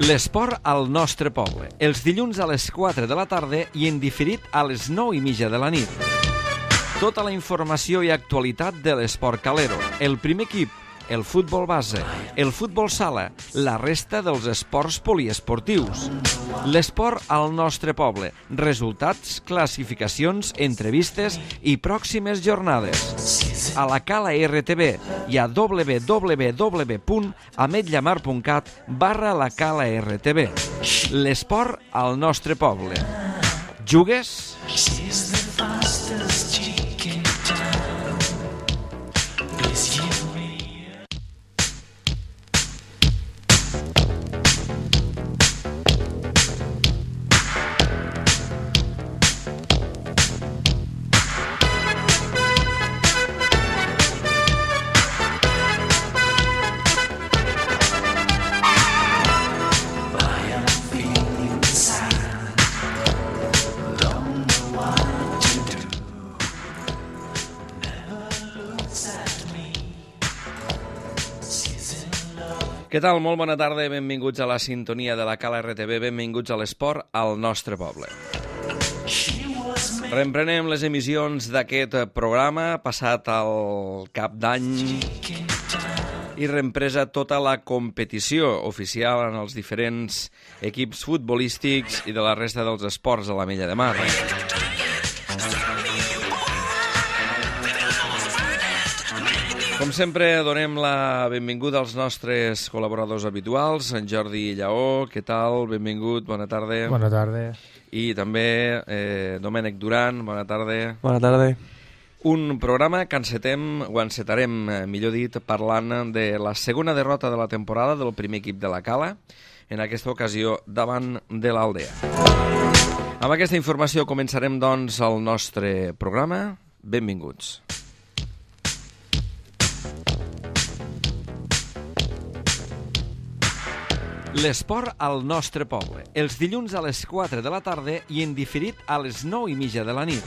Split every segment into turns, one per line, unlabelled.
L'esport al nostre poble, els dilluns a les 4 de la tarda i en diferit a les 9:30 de la nit. Tota la informació i actualitat de l'esport calero, el primer equip, el futbol base, el futbol sala, la resta dels esports poliesportius. L'esport al nostre poble, resultats, classificacions, entrevistes i pròximes jornades. A la Cala RTV i a www.ametlllamar.cat/la Cala RTV. L'esport al nostre poble. Jugues? Què tal? Molt bona tarda, benvinguts a la sintonia de la Cala RTV, benvinguts a l'esport al nostre poble. Reemprenem les emissions d'aquest programa, passat el cap d'any, i reempresa tota la competició oficial en els diferents equips futbolístics i de la resta dels esports a l'Ametlla de Mar. Com sempre, donem la benvinguda als nostres col·laboradors habituals. En Jordi Lleó, què tal? Benvingut, bona tarda.
Bona tarda.
I també Domènec Duran, bona tarda.
Bona tarda.
Un programa que encetarem, millor dit, parlant de la segona derrota de la temporada del primer equip de la Cala, en aquesta ocasió davant de l'Aldea. Amb aquesta informació començarem, doncs, el nostre programa. Benvinguts. L'esport al nostre poble, els dilluns a les 4 de la tarda i en diferit a les 9:30 de la nit.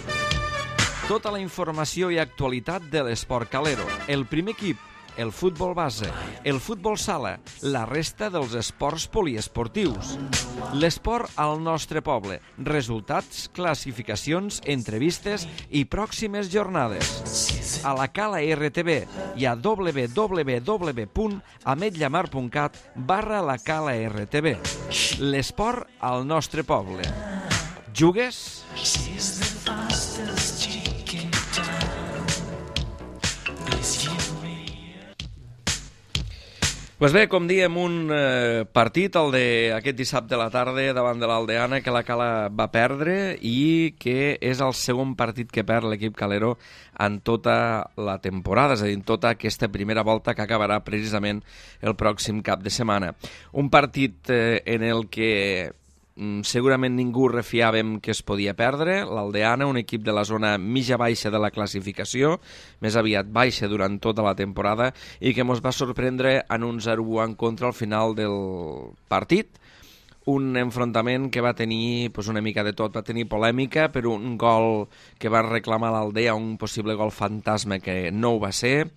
Tota la informació i actualitat de l'esport calero, el primer equip, el futbol base, el futbol sala, la resta dels esports poliesportius. L'esport al nostre poble, resultats, classificacions, entrevistes i pròximes jornades. A la Cala RTV i a www.ametlllamar.cat/la Cala RTV. L'esport al nostre poble. Jugues? Pues bé, com diem, un partit, el d'aquest dissabte a la tarda davant de l'Aldeana, que la Cala va perdre i que és el segon partit que perd l'equip calero en tota la temporada, és a dir, en tota aquesta primera volta que acabarà precisament el pròxim cap de setmana. Un partit en el que segurament ningú refiàvem que es podia perdre. L'Aldeana, un equip de la zona mitja-baixa de la classificació, més aviat baixa durant tota la temporada, i que ens va sorprendre en un 0-1 en contra al final del partit. Un enfrontament que va tenir una mica de tot, va tenir polèmica per un gol que va reclamar l'Aldea, un possible gol fantasma que no ho va ser.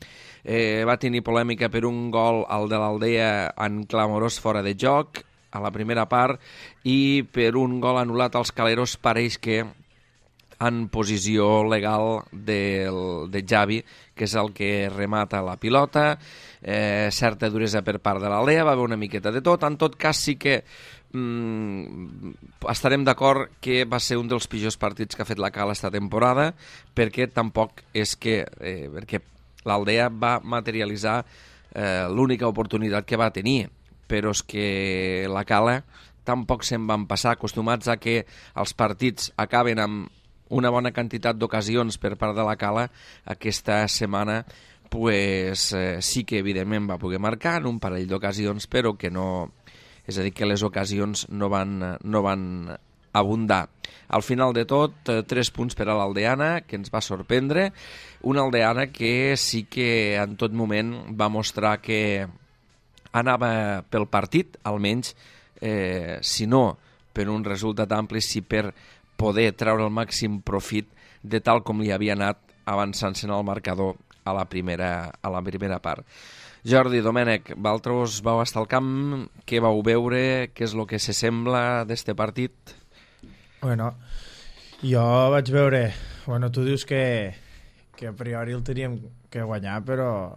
Va tenir polèmica per un gol, el de l'Aldea, en clamorós fora de joc, a la primera part, i per un gol anul·lat als caleros pareix que en posició legal de Javi, que és el que remata la pilota, certa duresa per part de l'Aldea, va haver una miqueta de tot. En tot cas sí que estarem d'acord que va ser un dels pitjors partits que ha fet la Cala esta temporada, perquè tampoc és que perquè l'Aldea va materialitzar l'única oportunitat que va tenir, però és que la Cala tampoc se'n van passar, acostumats a que els partits acaben amb una bona quantitat d'ocasions per part de la Cala. Aquesta setmana sí que evidentment va poder marcar en un parell d'ocasions, però que no, és a dir, que les ocasions no van abundar. Al final de tot, 3 punts per a l'Aldeana, que ens va sorprendre, una Aldeana que sí que en tot moment va mostrar que anava pel partit, almenys, si no per un resultat ampli, sí per poder treure el màxim profit de tal com li havia anat avançant-se en el marcador a la primera part. Jordi, Domènec, vosaltres vau estar al camp, què vau veure, què és el que s'assembla d'este partit?
Bueno, jo vaig veure... Bueno, tu dius que a priori el teníem que guanyar, però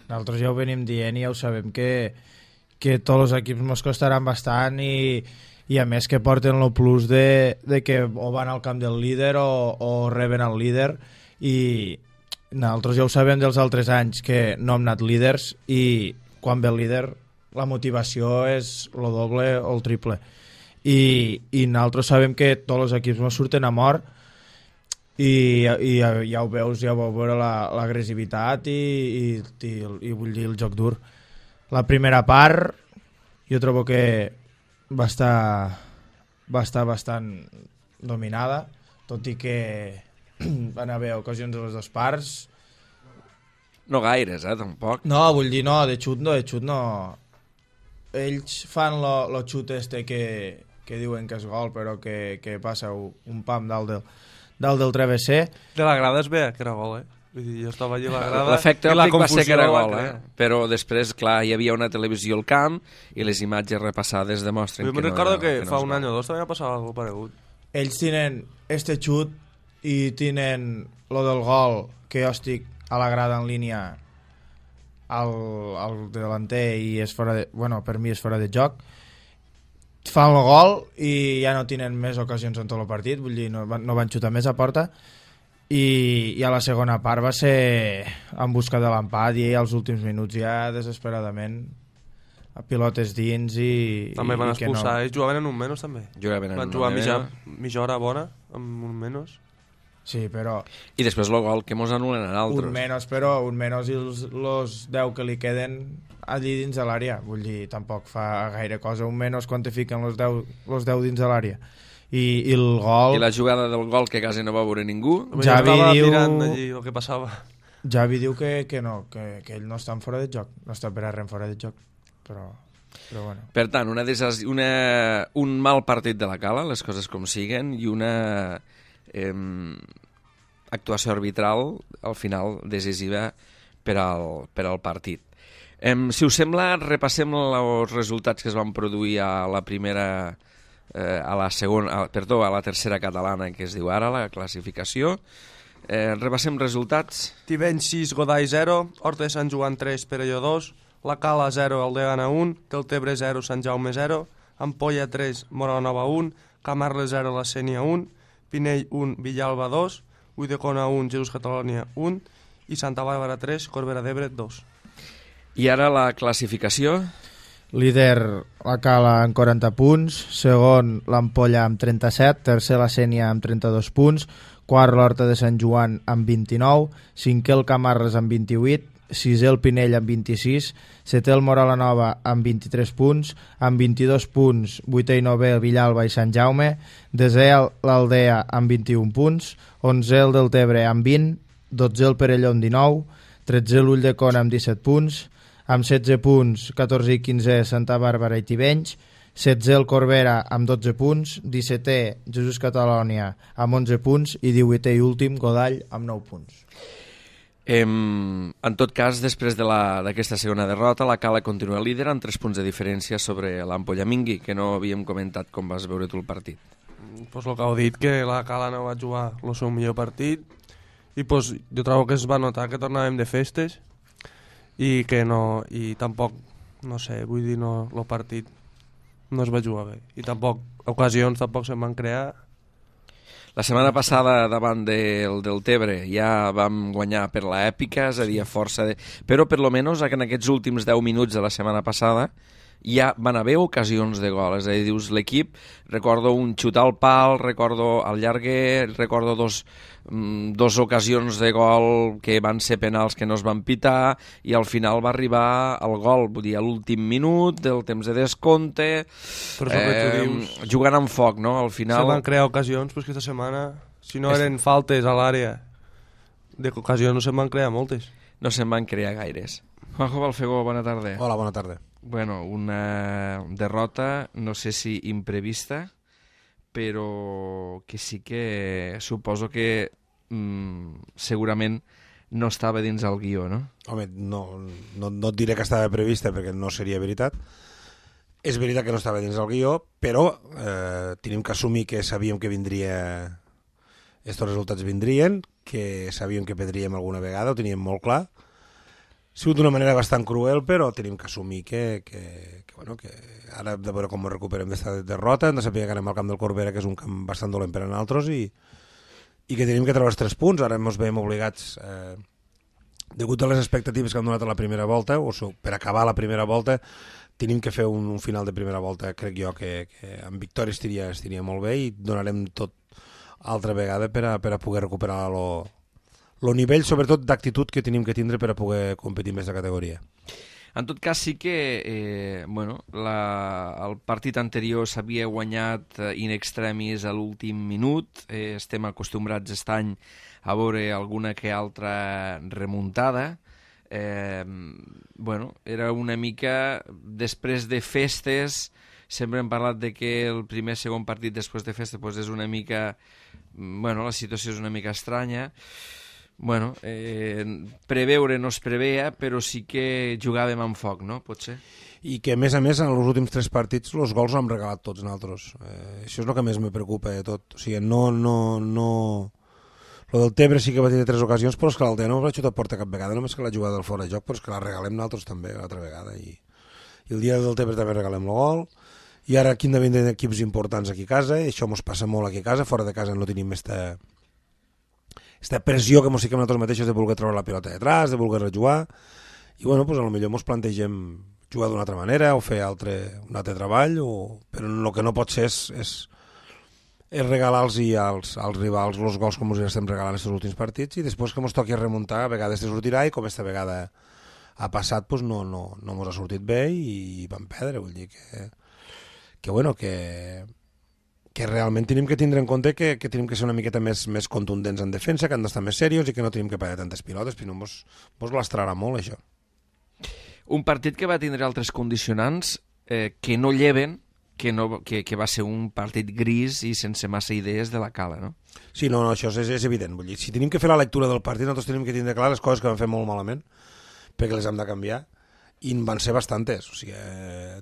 nosaltres ja ho venim dient i ja ho sabem que tots els equips ens costaran bastant i a més que porten el plus de que o van al camp del líder o reben el líder, i nosaltres ja ho sabem dels altres anys que no hem anat líders, i quan ve el líder la motivació és el doble o el triple, i nosaltres sabem que tots els equips ens surten a mort, i ja ho veus, ja vau veure l'agressivitat i vull dir el joc dur. La primera part jo trobo que va estar bastant dominada, tot i que van haver ocasions de les dues parts.
No gaires, tampoc.
No, vull dir, no, de xut no. Ells fan lo xut que diuen que és gol, però que passa un pam dalt del travesser.
De la grada es veia que era gol, Vull dir, jo estava allà a la grada...
L'efecte òptic va ser que era gol, però després, clar, hi havia una televisió al camp i les imatges repassades demostren que no...
Jo recordo que fa un any o dos també va passar alguna cosa paregut.
Ells tenen este xut i tenen lo del gol, que jo estic a la grada en línia al delanter i és fora de... Bueno, per mi és fora de joc. Fan el gol i ja no tenen més ocasions en tot el partit, vull dir, no van xutar més a porta, i a la segona part va ser en busca de l'empat i als últims minuts ja desesperadament a pilotes dins i...
També van expulsar, ells jugaven en un menys també. Van jugar mitja hora bona amb un menys.
Sí, però...
I després el gol que mos anulen a altres.
Un menys i els 10 que li queden allí dins de l'àrea. Vull dir, tampoc fa gaire cosa. Un menys quantifiquen els 10 dins de l'àrea. I el gol...
I la jugada del gol que quasi no va veure ningú.
Javi diu...
mirant allí el que passava.
Javi diu que no, que ell no està en fora de joc. No està per a res en fora de joc. Però bueno.
Per tant, un mal partit de la Cala, les coses com siguen, i una actuació arbitral al final decisiva per al partit. Si us sembla, repassem els resultats que es van produir a la tercera catalana, que es diu ara, la classificació. Repassem resultats.
Tivenys 6, Godall 0, Horta de Sant Joan 3, Perelló 2, La Cala 0, Aldegana 1, Deltebre 0, Sant Jaume 0, Ampolla 3, Moranova 1, Camarles 0, La Sénia 1, Pinell 1, Villalba 2, Ulldecona 1, Jesús Catalònia 1 i Santa Bàrbara 3, Corbera d'Ebre 2.
I ara la classificació.
Líder la Cala amb 40 punts, segon l'Ampolla amb 37, tercer la Sénia amb 32 punts, quart l'Horta de Sant Joan amb 29, cinquè el Camarles amb 28, sisè el Pinell amb 26, setè el Moralanova amb 23 punts, amb 22 punts, vuitè i novè el Villalba i Sant Jaume, desè l'Aldea amb 21 punts, 11è el Deltebre amb 20, 12è el Perelló amb 19, 13è l'Ulldecona amb 17 punts, amb 16 punts, 14 i 15è Santa Bàrbara i Tivenys, 16è el Corbera amb 12 punts, 17è Jesús Catalònia amb 11 punts i 18è i últim Godall amb 9 punts.
En tot cas, després d'aquesta segona derrota, la Cala continua líder amb 3 punts de diferència sobre l'Ampolla. Mingui, que no havíem comentat com vas veure tu el partit.
Pues el que heu dit, que la Cala no va jugar el seu millor partit i pues, jo trobo que es va notar que tornàvem de festes i que no, i tampoc, no sé, vull dir, no, el partit no es va jugar bé i tampoc, ocasions tampoc se'n van crear.
La setmana passada davant del Deltebre ja vam guanyar per l'èpica, és a dir, força però per lo menos en aquests últims 10 minuts de la setmana passada ja van haver ocasions de gol, és a dir, dius l'equip, recordo un xut al pal, recordo al llarguer, recordo dos ocasions de gol que van ser penals que no es van pitar i al final va arribar el gol, vull dir, a l'últim minut del temps de descompte, jugant amb foc, no? Al final...
Se van crear ocasions, però aquesta setmana, si no eren faltes a l'àrea d'ocasions, no se'n van crear moltes.
No se'n van crear gaires. Juanjo Balfegó, bona tarda.
Hola, bona tarda.
Bueno, una derrota, no sé si imprevista, però que sí que suposo que segurament no estava dins el guió, no?
Home, no et diré que estava prevista perquè no seria veritat. És veritat que no estava dins el guió, però tenim que assumir que sabíem que vindria... Estos resultats vindrien, que sabíem que perdríem alguna vegada, ho teníem molt clar. Ha sigut d'una manera bastant cruel, però tenim que assumir que ara hem de veure com ho recuperem d'esta derrota, hem de saber que anem al camp del Corbera, que és un camp bastant dolent per a nosaltres, i que tenim que treure els 3 punts. Ara ens veiem obligats, degut a les expectatives que han donat a la primera volta, o per acabar la primera volta, tenim que fer un final de primera volta, crec jo, que amb victòria estiria molt bé, i donarem tot altra vegada per a poder recuperar el nivell, sobretot d'actitud que tenim que tindre per a poder competir més de categoria.
En tot cas, sí que el partit anterior s'havia guanyat in extremis a l'últim minut. Estem acostumbrats aquest any a veure alguna que altra remuntada. Era una mica després de festes. Sempre hem parlat de que el primer segon partit després de festa és una mica... la situació és una mica estranya. Preveure no es preveia, però sí que jugàvem amb foc, no? Potser.
I que, a més, en els últims 3 partits, els gols ho hem regalat tots nosaltres. Això és el que més me preocupa de tot. O sigui, no... Lo del Tebre sí que va tenir 3 ocasions, però és que l'Aldea no va xutar a porta cap vegada, només que l'ha jugat del fora de joc, però és que la regalem nosaltres també l'altra vegada. I el dia del Tebre també regalem el gol. I ara aquí han de vindre equips importants aquí a casa, i això ens passa molt aquí a casa, fora de casa no tenim esta pressió que ens fiquem nosaltres mateixos de voler treure la pilota detrás, de voler rejugar, i potser potser ens plantegem jugar d'una altra manera o fer un altre treball, però el que no pot ser és regalar-los als rivals els gols com els estem regalant aquests últims partits, i després que ens toqui remuntar a vegades te sortirà, i com esta vegada ha passat no ens ha sortit bé i vam perdre. Vull dir que realment tenim que tindre en compte que tenim que ser una miqueta més contundents en defensa, que han d'estar més serios i que no tenim que pagar tantes pilotes, però mos lastrarà molt això.
Un partit que va tindre altres condicionants que no lleven, que va ser un partit gris i sense massa idees de la Cala, no?
Sí, no, això és evident. Vull dir, si tenim que fer la lectura del partit, nosaltres tenim que tindre clar les coses que vam fer molt malament, perquè les hem de canviar, i en van ser bastantes, o sigui,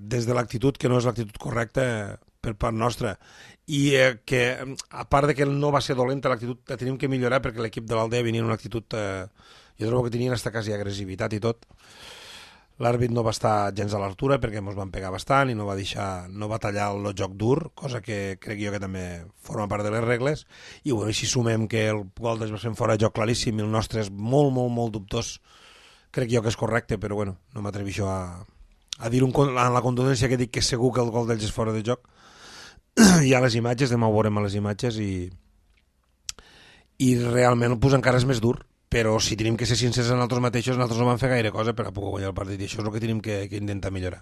des de l'actitud, que no és l'actitud correcta per part nostra, i que a part de que no va ser dolenta l'actitud, la tenim que millorar, perquè l'equip de l'Aldea venia en una actitud, jo trobo que tenien hasta quasi agressivitat i tot. L'àrbit no va estar gens a l'altura perquè ens van pegar bastant i no va tallar el joc dur, cosa que crec jo que també forma part de les regles, i si sumem que el gol dels va ser fora de joc claríssim i el nostre és molt, molt, molt dubtós, crec jo que és correcte, però no m'atreveixo a dir en la contundència que dic que segur que el gol d'ells és fora de joc. Hi ha les imatges, demà ho veurem a les imatges, i realment encara és més dur, però si tenim que ser sincers en nosaltres mateixos, nosaltres no vam fer gaire cosa per a poder guanyar el partit, i això és el que tenim que intentar millorar.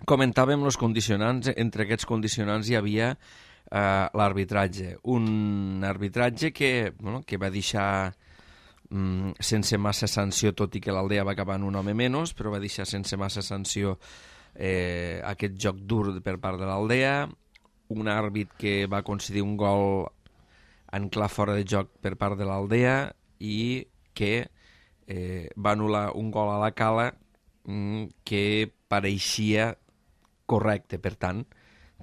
Comentàvem els condicionants. Entre aquests condicionants hi havia l'arbitratge. Un arbitratge que va deixar sense massa sanció, tot i que l'Aldea va acabar en un home menys, però va deixar sense massa sanció aquest joc dur per part de l'Aldea, un àrbit que va concedir un gol en clar fora de joc per part de l'Aldea i que va anul·lar un gol a la Cala que pareixia correcte. Per tant,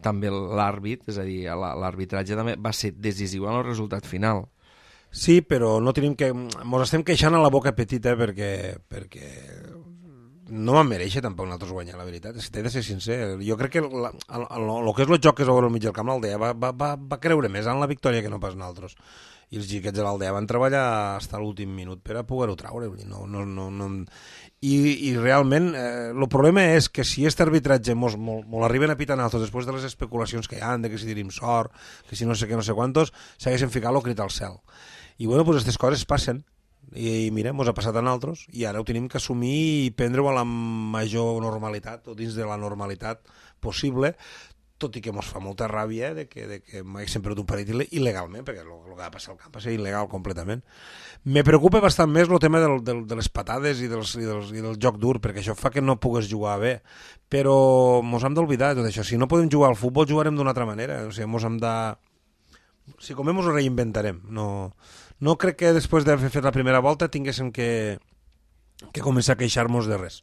també l'àrbit, és a dir, l'arbitratge també va ser decisiu en el resultat final.
Sí, però no tenim que... Ens estem queixant a la boca petita perquè no vam mereixer tampoc nosaltres guanyar, la veritat. Si t'he de ser sincer, jo crec que el que és el joc que es va veure al mig del camp, l'Aldea va creure més en la victòria que no pas nosaltres. I els xiquets de l'Aldea van treballar fins a l'últim minut per a poder-ho treure. I realment el problema és que si aquest arbitratge molt arriben a pitar nosaltres després de les especulacions que hi ha, de que si tenim sort, que si no sé què, no sé quantos, s'haguessin ficat el crit al cel. I aquestes coses passen. I mira, ens ha passat a nosaltres i ara ho tenim que assumir i prendre-ho a la major normalitat o dins de la normalitat possible, tot i que ens fa molta ràbia de que m'haguessin perdut un partit il·legalment, perquè el que va passar al camp va ser il·legal completament. Me preocupa bastant més el tema de les patades i del joc dur, perquè això fa que no pugues jugar bé, però ens hem d'oblidar tot això. Si no podem jugar al futbol, jugarem d'una altra manera. O sigui, si comem, ens ho reinventarem. No no crec que després d'haver fet la primera volta tinguéssim que començar a queixar-nos de res.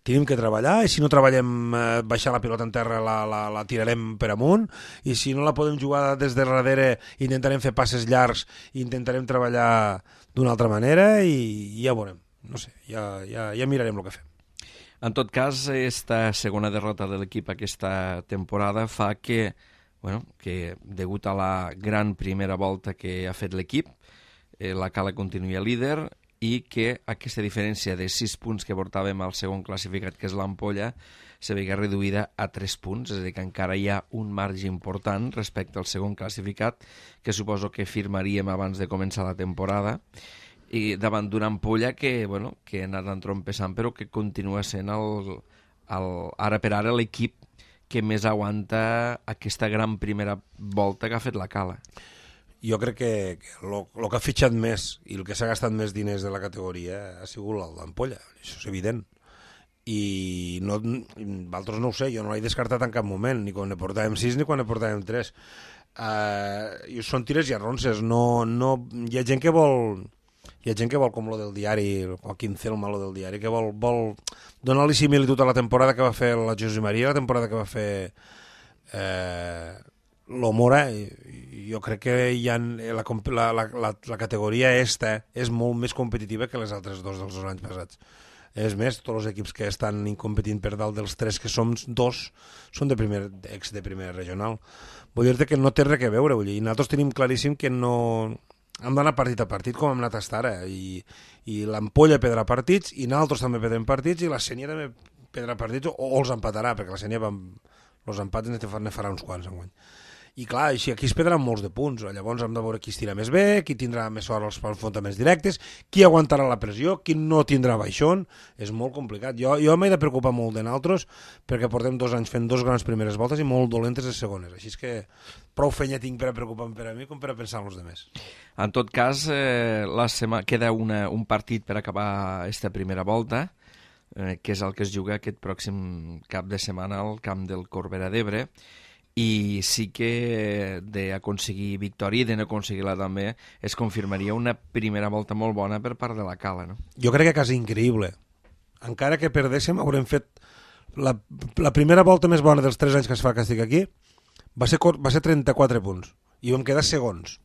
Tenim que treballar, i si no treballem baixar la pilota en terra la tirarem per amunt, i si no la podem jugar des de darrere intentarem fer passes llargs i intentarem treballar d'una altra manera i ja veurem. No sé, ja mirarem el que fem.
En tot cas, esta segona derrota de l'equip aquesta temporada fa que, que degut a la gran primera volta que ha fet l'equip, la Cala continua líder i que aquesta diferència de 6 punts que portàvem al segon classificat, que és l'Ampolla, se veiga reduïda a 3 punts, és a dir, que encara hi ha un marge important respecte al segon classificat, que suposo que firmaríem abans de començar la temporada, i davant d'una Ampolla que ha anat entrompessant, però que continua sent ara per ara l'equip que més aguanta aquesta gran primera volta que ha fet la Cala.
Jo crec que el que ha fitxat més i el que s'ha gastat més diners de la categoria ha sigut l'Ampolla, això és evident. I altres no ho sé, jo no l'he descartat en cap moment, ni quan ne portàvem 6 ni quan ne portàvem 3. Són tires i arronses, hi ha gent que vol... Hi ha gent que vol, com lo del diari, el Joaquín Celma, lo del diari, que vol donar-li similitud a la temporada que va fer la José María, la temporada que va fer l'Omora. Jo crec que la categoria esta és molt més competitiva que les altres dels anys passats. És més, tots els equips que estan competint per dalt dels 3 que som, 2 són de primera regional. Vull dir-te que no té res a veure, i nosaltres tenim claríssim que no... Hem d'anar partit a partit com hem anat fins ara, i l'Ampolla perdrà partits i nosaltres també perdrem partits i la Sénia també perdrà partits o els empatarà, perquè la Sénia els empats ne farà uns quants enguany. I clar, així aquí es perdran molts de punts, llavors hem de veure qui estira més bé, qui tindrà més sort als enfrontaments directes, qui aguantarà la pressió, qui no tindrà baixón. És molt complicat. Jo m'he de preocupar molt de nosaltres perquè portem 2 anys fent 2 grans primeres voltes i molt dolentes les segones, així que prou feina tinc per a preocupar-me per a mi com per a pensar en els altres.
En tot cas, queda un partit per acabar aquesta primera volta, que és el que es juga aquest pròxim cap de setmana al camp del Corbera d'Ebre, i sí que d'aconseguir victòria i de no aconseguir-la també es confirmaria una primera volta molt bona per part de la Cala, no?
Jo crec que quasi increïble. Encara que perdéssim, haurem fet la primera volta més bona dels 3 anys que es fa que estic aquí, va ser 34 punts i vam quedar segons.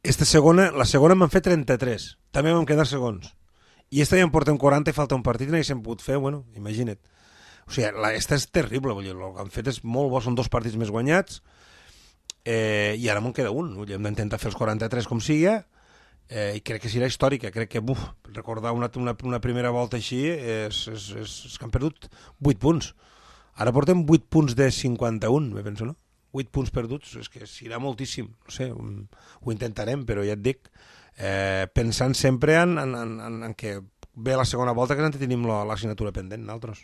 La segona m'han fet 33, també vam quedar segons. I esta ja en portem 40 i falta un partit i n'haguéssim pogut fer, imagina't. O sigui, esta és terrible, el que han fet és molt bo, són 2 partits més guanyats, i ara me'n queda un, hem d'intentar fer els 43 com sigui, i crec que serà històrica, crec que recordar una primera volta així és que han perdut 8 punts. Ara portem 8 punts de 51, me penso, no? 8 punts perduts, és que serà moltíssim, no sé, ho intentarem, però ja et dic, pensant sempre en que ve la segona volta que tenim l'assignatura pendent, nosaltres.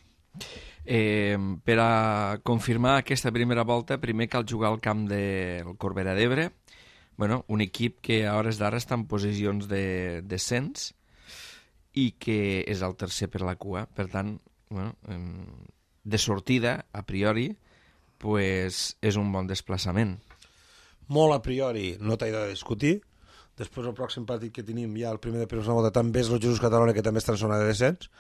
Per a confirmar aquesta primera volta, primer cal jugar al camp del Corbera d'Ebre, un equip que a hores d'ara està en posicions de descens i que és el tercer per la cua. Per tant, de sortida, a priori, és un bon desplaçament.
Molt a priori, no t'he de discutir. Després, el pròxim partit que tenim ja, el primer de primera volta, també és el Jesús Catalònia, que també està en zona de descens,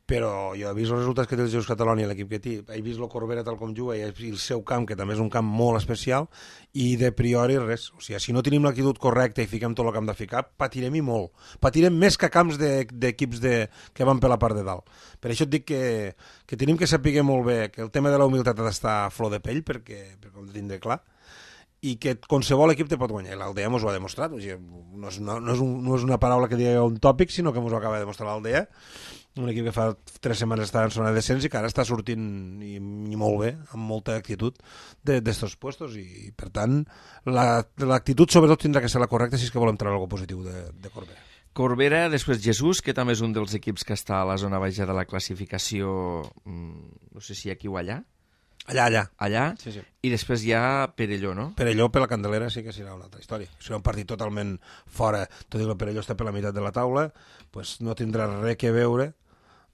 però jo he vist els resultats que té el Jesús Catalònia, l'equip que té, he vist el Corbera tal com juga i el seu camp, que també és un camp molt especial, i de priori res. O sigui, si no tenim l'actitud correcta i fiquem tot el que hem de ficar, patirem i molt. Patirem més que camps d'equips que van per la part de dalt. Per això et dic que tenim que saber molt bé que el tema de la humilitat ha d'estar a flor de pell, perquè ho hem de tindre clar, i que qualsevol equip te pot guanyar. L'Aldea ens ho ha demostrat. O sigui, no és una paraula que digui un tòpic, sinó que ens ho acaba de demostrar l'Aldea, un equip que fa 3 setmanes està en zona de descens i que ara està sortint i molt bé, amb molta actitud d'estos puestos, i per tant l'actitud sobretot tindrà que ser la correcta si és que volem treure alguna positiu de Corbera.
Corbera, després Jesús, que també és un dels equips que està a la zona baixa de la classificació, no sé si aquí o allà. Allà?
Sí.
I després hi ha Perelló, no?
Perelló per la Candelera sí que serà una altra història. Serà un partit totalment fora. Tot i que el Perelló està per la meitat de la taula, pues no tindrà res que veure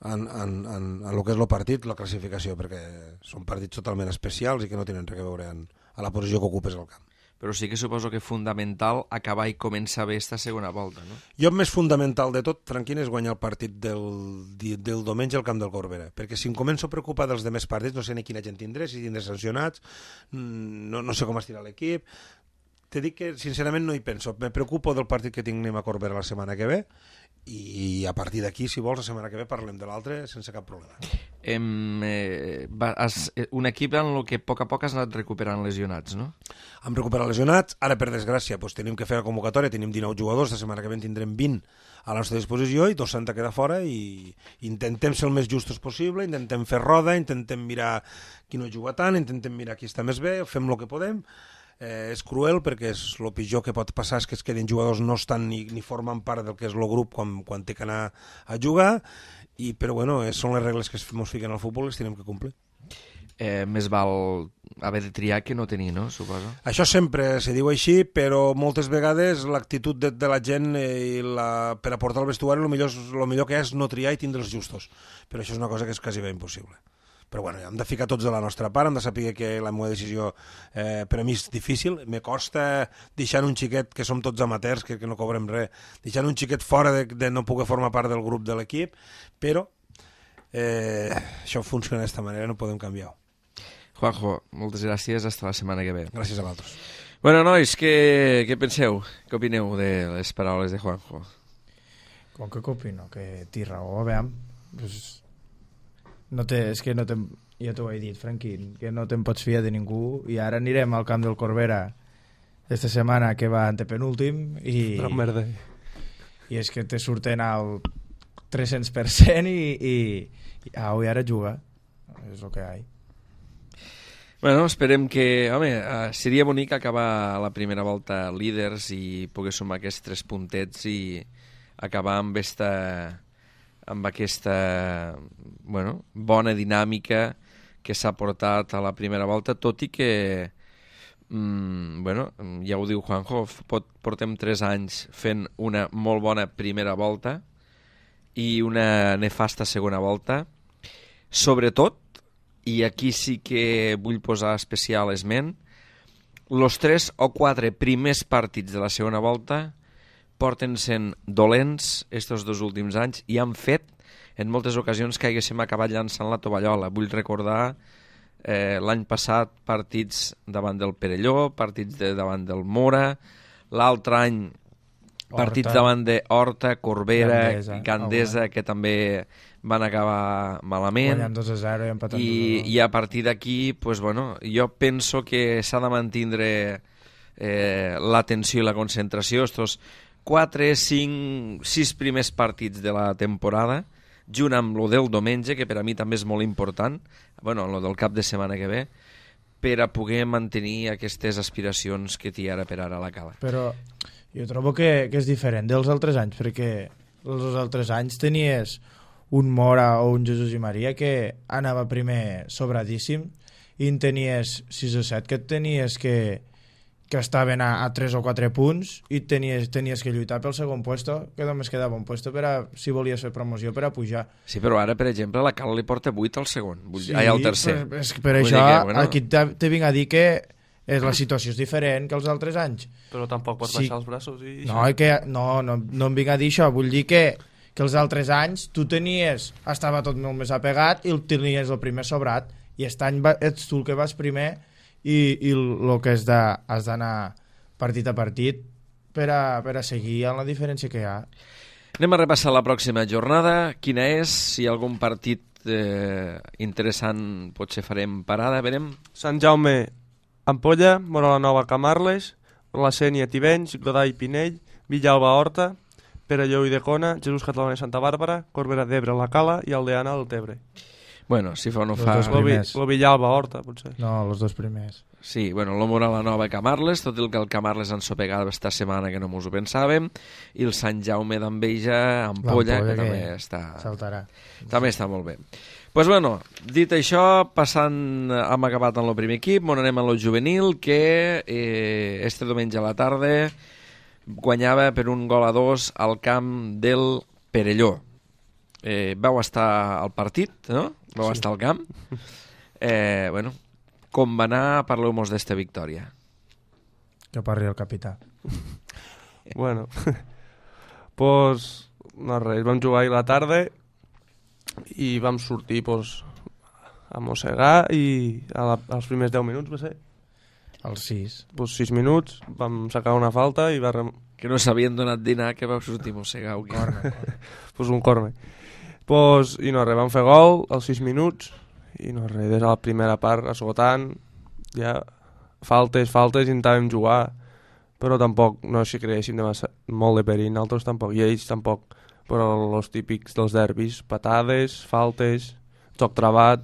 en el que és el partit, la classificació, perquè són partits totalment especials i que no tenen res a veure en la posició que ocupes al camp.
però sí que suposo que fundamental acabar i començar bé esta segona volta, no?
Jo més fundamental de tot, Franquín, és guanyar el partit del diumenge al camp del Corbera, perquè si em començo a preocupar dels demés partits, no sé ni quina gent tindré, si tindré sancionats, no sé com estirà l'equip. Te dic que, sincerament, no hi penso. Me preocupo del partit que tinguem a Corbera la setmana que ve i a partir d'aquí, si vols, la setmana que ve parlem de l'altre sense cap problema.
Un equip en el que a poc has anat recuperant lesionats, no?
Hem recuperat lesionats, ara per desgràcia tenim que fer la convocatòria, tenim 19 jugadors, la setmana que ve en tindrem 20 a la nostra disposició i 2 s'han de quedar fora i intentem ser el més justos possible, intentem fer roda, intentem mirar qui no juga tant, intentem mirar qui està més bé, fem el que podem. És cruel perquè el pitjor que pot passar és que es quedin jugadors no estan ni formen part del que és el grup quan té que anar a jugar, però bueno, són les regles que ens fiquen al futbol i les tenim que complir.
Més val haver de triar que no tenir, no? Suposo.
Això sempre se diu així, però moltes vegades l'actitud de la gent per aportar al vestuari el millor que és no triar i tindre els justos, però això és una cosa que és quasi bé impossible. Però bueno, hem de ficar tots de la nostra part, hem de saber que la meva decisió per a mi és difícil, me costa deixar un xiquet, que som tots amateurs, que no cobrem res, deixar un xiquet fora de no poder formar part del grup de l'equip, però això funciona d'esta manera, no podem canviar-ho.
Juanjo, moltes gràcies, hasta la setmana que ve.
Gràcies a vosaltres.
Bueno, nois, què penseu? Què opineu de les paraules de Juanjo?
Com que opino? Que té raó, a veure, pues... és que ja t'ho he dit, Franquín, que no te'n pots fiar de ningú i ara anirem al camp del Corbera esta setmana que va antepenúltim i és que te surten al 300% i ara juga, és el que hi ha.
Bueno, esperem que... Home, seria bonic acabar la primera volta líders i poder sumar aquests 3 puntets i acabar amb aquesta bona dinàmica que s'ha portat a la primera volta, tot i que ja ho diu Juanjo, portem 3 anys fent una molt bona primera volta i una nefasta segona volta, sobretot, i aquí sí que vull posar especial esment, els 3 o 4 primers partits de la segona volta porten sent dolents estos 2 últims anys i han fet en moltes ocasions que haguéssim acabat llançant la tovallola. Vull recordar l'any passat partits davant del Perelló, partits davant del Mora, l'altre any partits davant de Horta, Corbera, Gandesa, que també van acabar malament.
Guanyant 2-0 i empatant
2-2. I a partir d'aquí, jo penso que s'ha de mantindre l'atenció i la concentració, estos 4, 5, 6 primers partits de la temporada, junt amb el del diumenge, que per a mi també és molt important, el del cap de setmana que ve, per a poder mantenir aquestes aspiracions que té ara per ara la Cala.
Però jo trobo que és diferent dels altres anys, perquè els altres anys tenies un Mora o un Jesús i Maria que anava primer sobradíssim i en tenies 6 o 7 que tenies que estaven a 3 o 4 punts i tenies que lluitar pel segon puesto, que només quedava un puesto si volies fer promoció per a pujar.
Sí, però ara, per exemple, la Cala li porta 8 al segon, al tercer.
Per això aquí te vinc a dir que la situació és diferent que els altres anys.
Però tampoc pots baixar els braços i...
No em vinc a dir això, vull dir que els altres anys tu estava tot molt més apegat i tenies el primer sobrat, i aquest any ets tu el que vas primer i el que has d'anar partit a partit per a seguir amb la diferència que hi ha.
Anem a repassar la pròxima jornada. Quina és? Si hi ha algun partit interessant potser farem parada, verem.
Sant Jaume, Ampolla, Moralanova, Camarles, La Sénia, Tivenys, Godall, Pinell, Villalba, Horta, Perelló i Decona, Jesús Catalana i Santa Bàrbara, Corbera d'Ebre, La Cala i Aldeana del Tebre.
Bueno, si fa o no fa...
Lo Villalba, Horta, potser.
No, els 2 primers.
Sí, bueno, lo Moralanova i Camarles, tot el que el Camarles han sopegat esta setmana que no mos ho pensàvem, i el Sant Jaume d'Enveja, Ampolla, que també està...
Saltarà.
També està molt bé. Pues bueno, dit això, hem acabat amb el primer equip, anem a lo juvenil, que este diumenge a la tarda guanyava per 1-2 al camp del Perelló. Vau estar al partit, no? Vau estar al camp. Com va anar? Parleu-nos d'esta victòria.
Que parli el capità.
Bueno, pues, no res, vam jugar ahir la tarda i vam sortir pues, a mossegar i als primers 10 minuts va ser.
Els 6.
Pues 6 minuts, vam sacar una falta i
Que no s'havien donat dinar, que vau sortir a mossegar.
pues un corner. Pues, i no res, vam fer gol als 6 minuts i no res, des de la primera part esgotant, ja faltes, intentàvem jugar, però tampoc no s'hi creguéssim molt de perill, nosaltres tampoc, i ells tampoc, però els típics dels derbis, patades, faltes, joc travat,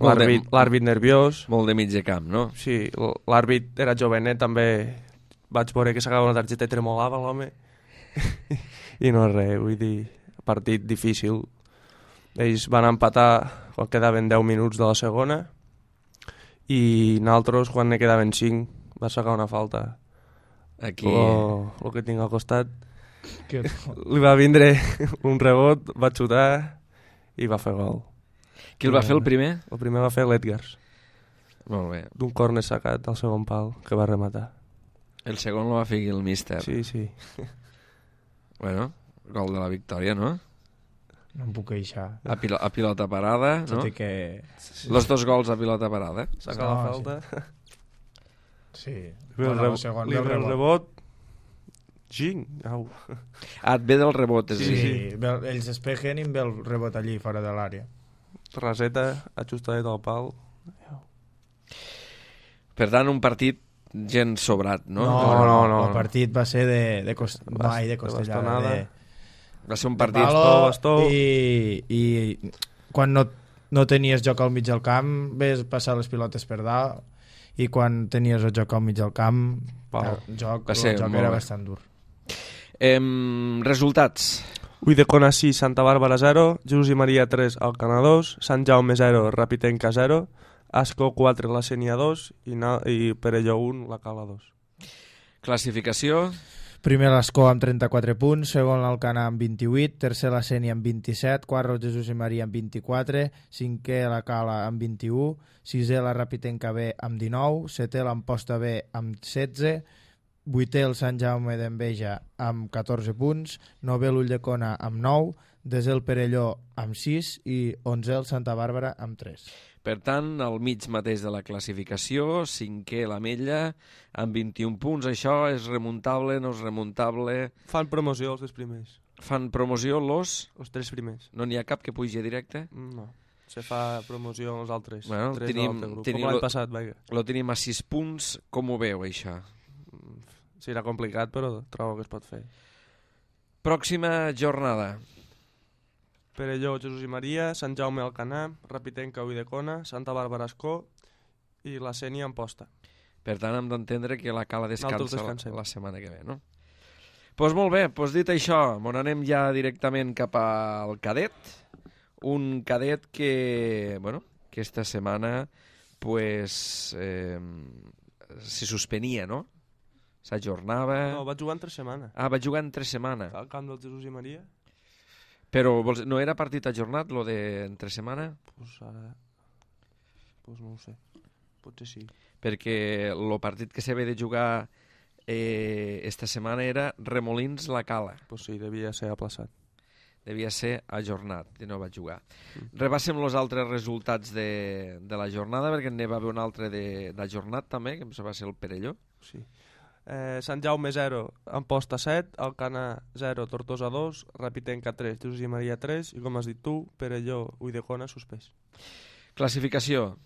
l'àrbit nerviós.
Molt de mig de camp, no?
Sí, l'àrbit era jovenet, també vaig veure que s'acaba una targeta i tremolava l'home. I no res, vull dir, partit difícil. Ells van empatar quan quedaven 10 minuts de la segona i nosaltres, quan ne quedaven 5, va sacar una falta.
Aquí...
El que tinc al costat. Li va vindre un rebot, va xutar i va fer gol.
Qui el va fer el primer?
El primer va fer l'Edgars.
Molt bé.
D'un córner sacat al segon pal, que va rematar.
El segon el va fer el míster.
Sí, sí.
Bueno, gol de la victòria, no?
No em puc queixar.
A pilota parada, no?
Tot i que...
Los dos gols a pilota parada.
Saca la falta.
Sí.
Bueno, li ve el rebot. Ging. Au.
Et ve del rebot, és a dir.
Sí, ells despegen i em ve el rebot allí, fora de l'àrea.
Raseta, ajustadet al pal.
Per tant, un partit gens sobrat, no?
No.
El partit va ser de costellada.
Va ser un partit...
Bastó.
I quan no tenies joc al mig del camp, ves passar les pilotes per dalt, i quan tenies el joc al mig del camp, el joc era bastant dur.
Resultats.
Uidecona 6, Santa Bàrbara 0, Jesús i Maria 3, Alcanar 2, Sant Jaume 0, Rapitenca 0, Ascó 4, La Sénia 2 i Perelló 1, La Cala 2.
Classificació.
Primer l'Ascó amb 34 punts, segon l'Alcanar amb 28, tercer la Sénia amb 27, quart el Jesús i Maria amb 24, cinquè la Cala amb 21, sisè la Rapitenca B amb 19, setè l'Amposta B amb 16, vuitè el Sant Jaume d'Enveja amb 14 punts, novè l'Ulldecona amb 9, desè el Perelló amb 6 i 11è el Santa Bàrbara amb 3.
Per tant, al mig mateix de la classificació, cinquè l'Ametlla amb 21 punts. Això és remuntable, no és remuntable?
Fan promoció els 3 primers.
Fan promoció
els 3 primers.
No n'hi ha cap que pugi directe?
No. Se fa promoció amb els altres.
Bueno,
com l'any passat, vaja.
Lo tenim a 6 punts. Com ho veu, això?
Serà complicat, però trobo que es pot fer.
Pròxima jornada.
Perelló, Jesús i Maria, Sant Jaume Alcanar, Rapitenca Uidecona, Santa Bàrbara Ascó i la Sénia Amposta.
Per tant, hem d'entendre que la Cala descansa la setmana que ve, no? Doncs molt bé, dit això, anem ja directament cap al cadet. Un cadet que, aquesta setmana se suspenia, no? S'ajornava...
No, va jugar entre setmana.
Ah, va jugar entre setmana.
Al camp del Jesús i Maria.
Però no era partit ajornat, lo de entre setmana?
Pues ara... Pues no ho sé. Potser sí.
Perquè el partit que s'havia de jugar esta setmana era Remolins-La Cala.
Pues sí, devia ser aplaçat.
Devia ser ajornat, i no va jugar. Repassem els altres resultats de la jornada, perquè n'hi va haver un altre d'ajornat també, que va ser el Perelló.
Sí. Sant Jaume 0, Amposta 7, Alcanar 0, Tortosa 2, Rapitenca 3, Jesús i Maria 3 i, com has dit tu, Perelló, Uidecona suspès.
Classificació.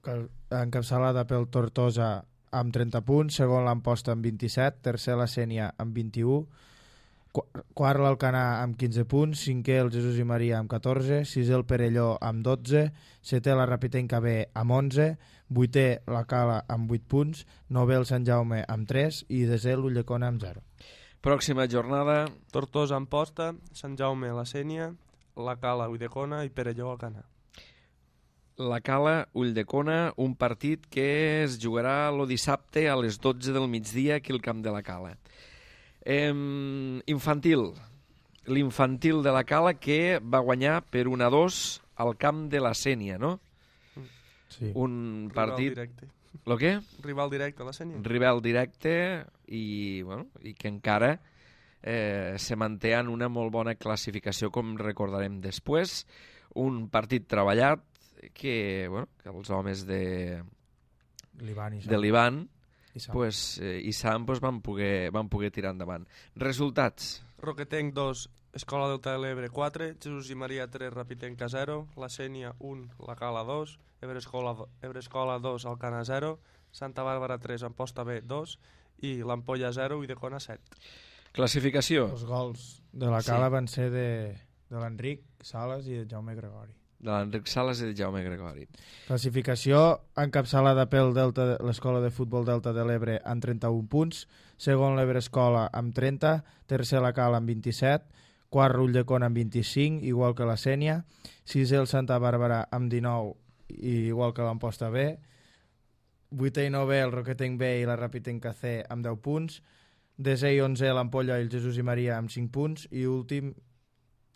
Encapçalada pel Tortosa amb 30 punts, segon l'Amposta amb 27, tercer la Sénia amb 21, quart l'Alcanar amb 15 punts, cinquè el Jesús i Maria amb 14, sisè el Perelló amb 12, setè la Rapitenca B amb 11, vuitè la Cala amb 8 punts, novè el Sant Jaume amb 3 i desè l'Ulldecona amb 0.
Pròxima jornada.
Tortosa Amposta, Sant Jaume la Sénia, la Cala Uidecona i Perelló Alcanar.
La Cala Ulldecona, un partit que es jugarà el dissabte a les 12 del migdia aquí al camp de la Cala. Infantil. L'infantil de la Cala que va guanyar per 1-2 al camp de la Sénia, no?
Sí.
Un partit Lo què?
Rival directe a la Sènia.
Rival directe i que encara se manté en una molt bona classificació, com recordarem després. Un partit treballat que els homes de l'Ivan i Sam van poder tirar endavant. Resultats.
Roquetenc 2, Escola Delta de l'Ebre 4, Jesús i Maria 3, Rapitenca 0, la Sènia 1, la Cala 2, Ebrescola 2, Alcana 0, Santa Bàrbara 3, Amposta B 2 i l'Ampolla 0 i Decona 7.
Classificació.
Els gols de la Cala van ser de l'Enric Sales i de Jaume Gregori.
De l'Enric Sales i de Jaume Gregori.
Classificació encapçalada pel l'Escola de Futbol Delta de l'Ebre amb 31 punts, segon l'Ebre Escola amb 30, tercer la Cala amb 27, quart Ulldecona amb 25, igual que la Sènia, sisè el Santa Bàrbara amb 19, igual que l'Amposta B, vuitè i novè el Roquetenc B i la Rapitenca C amb 10 punts, desè i 11è l'Ampolla i el Jesús i Maria amb 5 punts i últim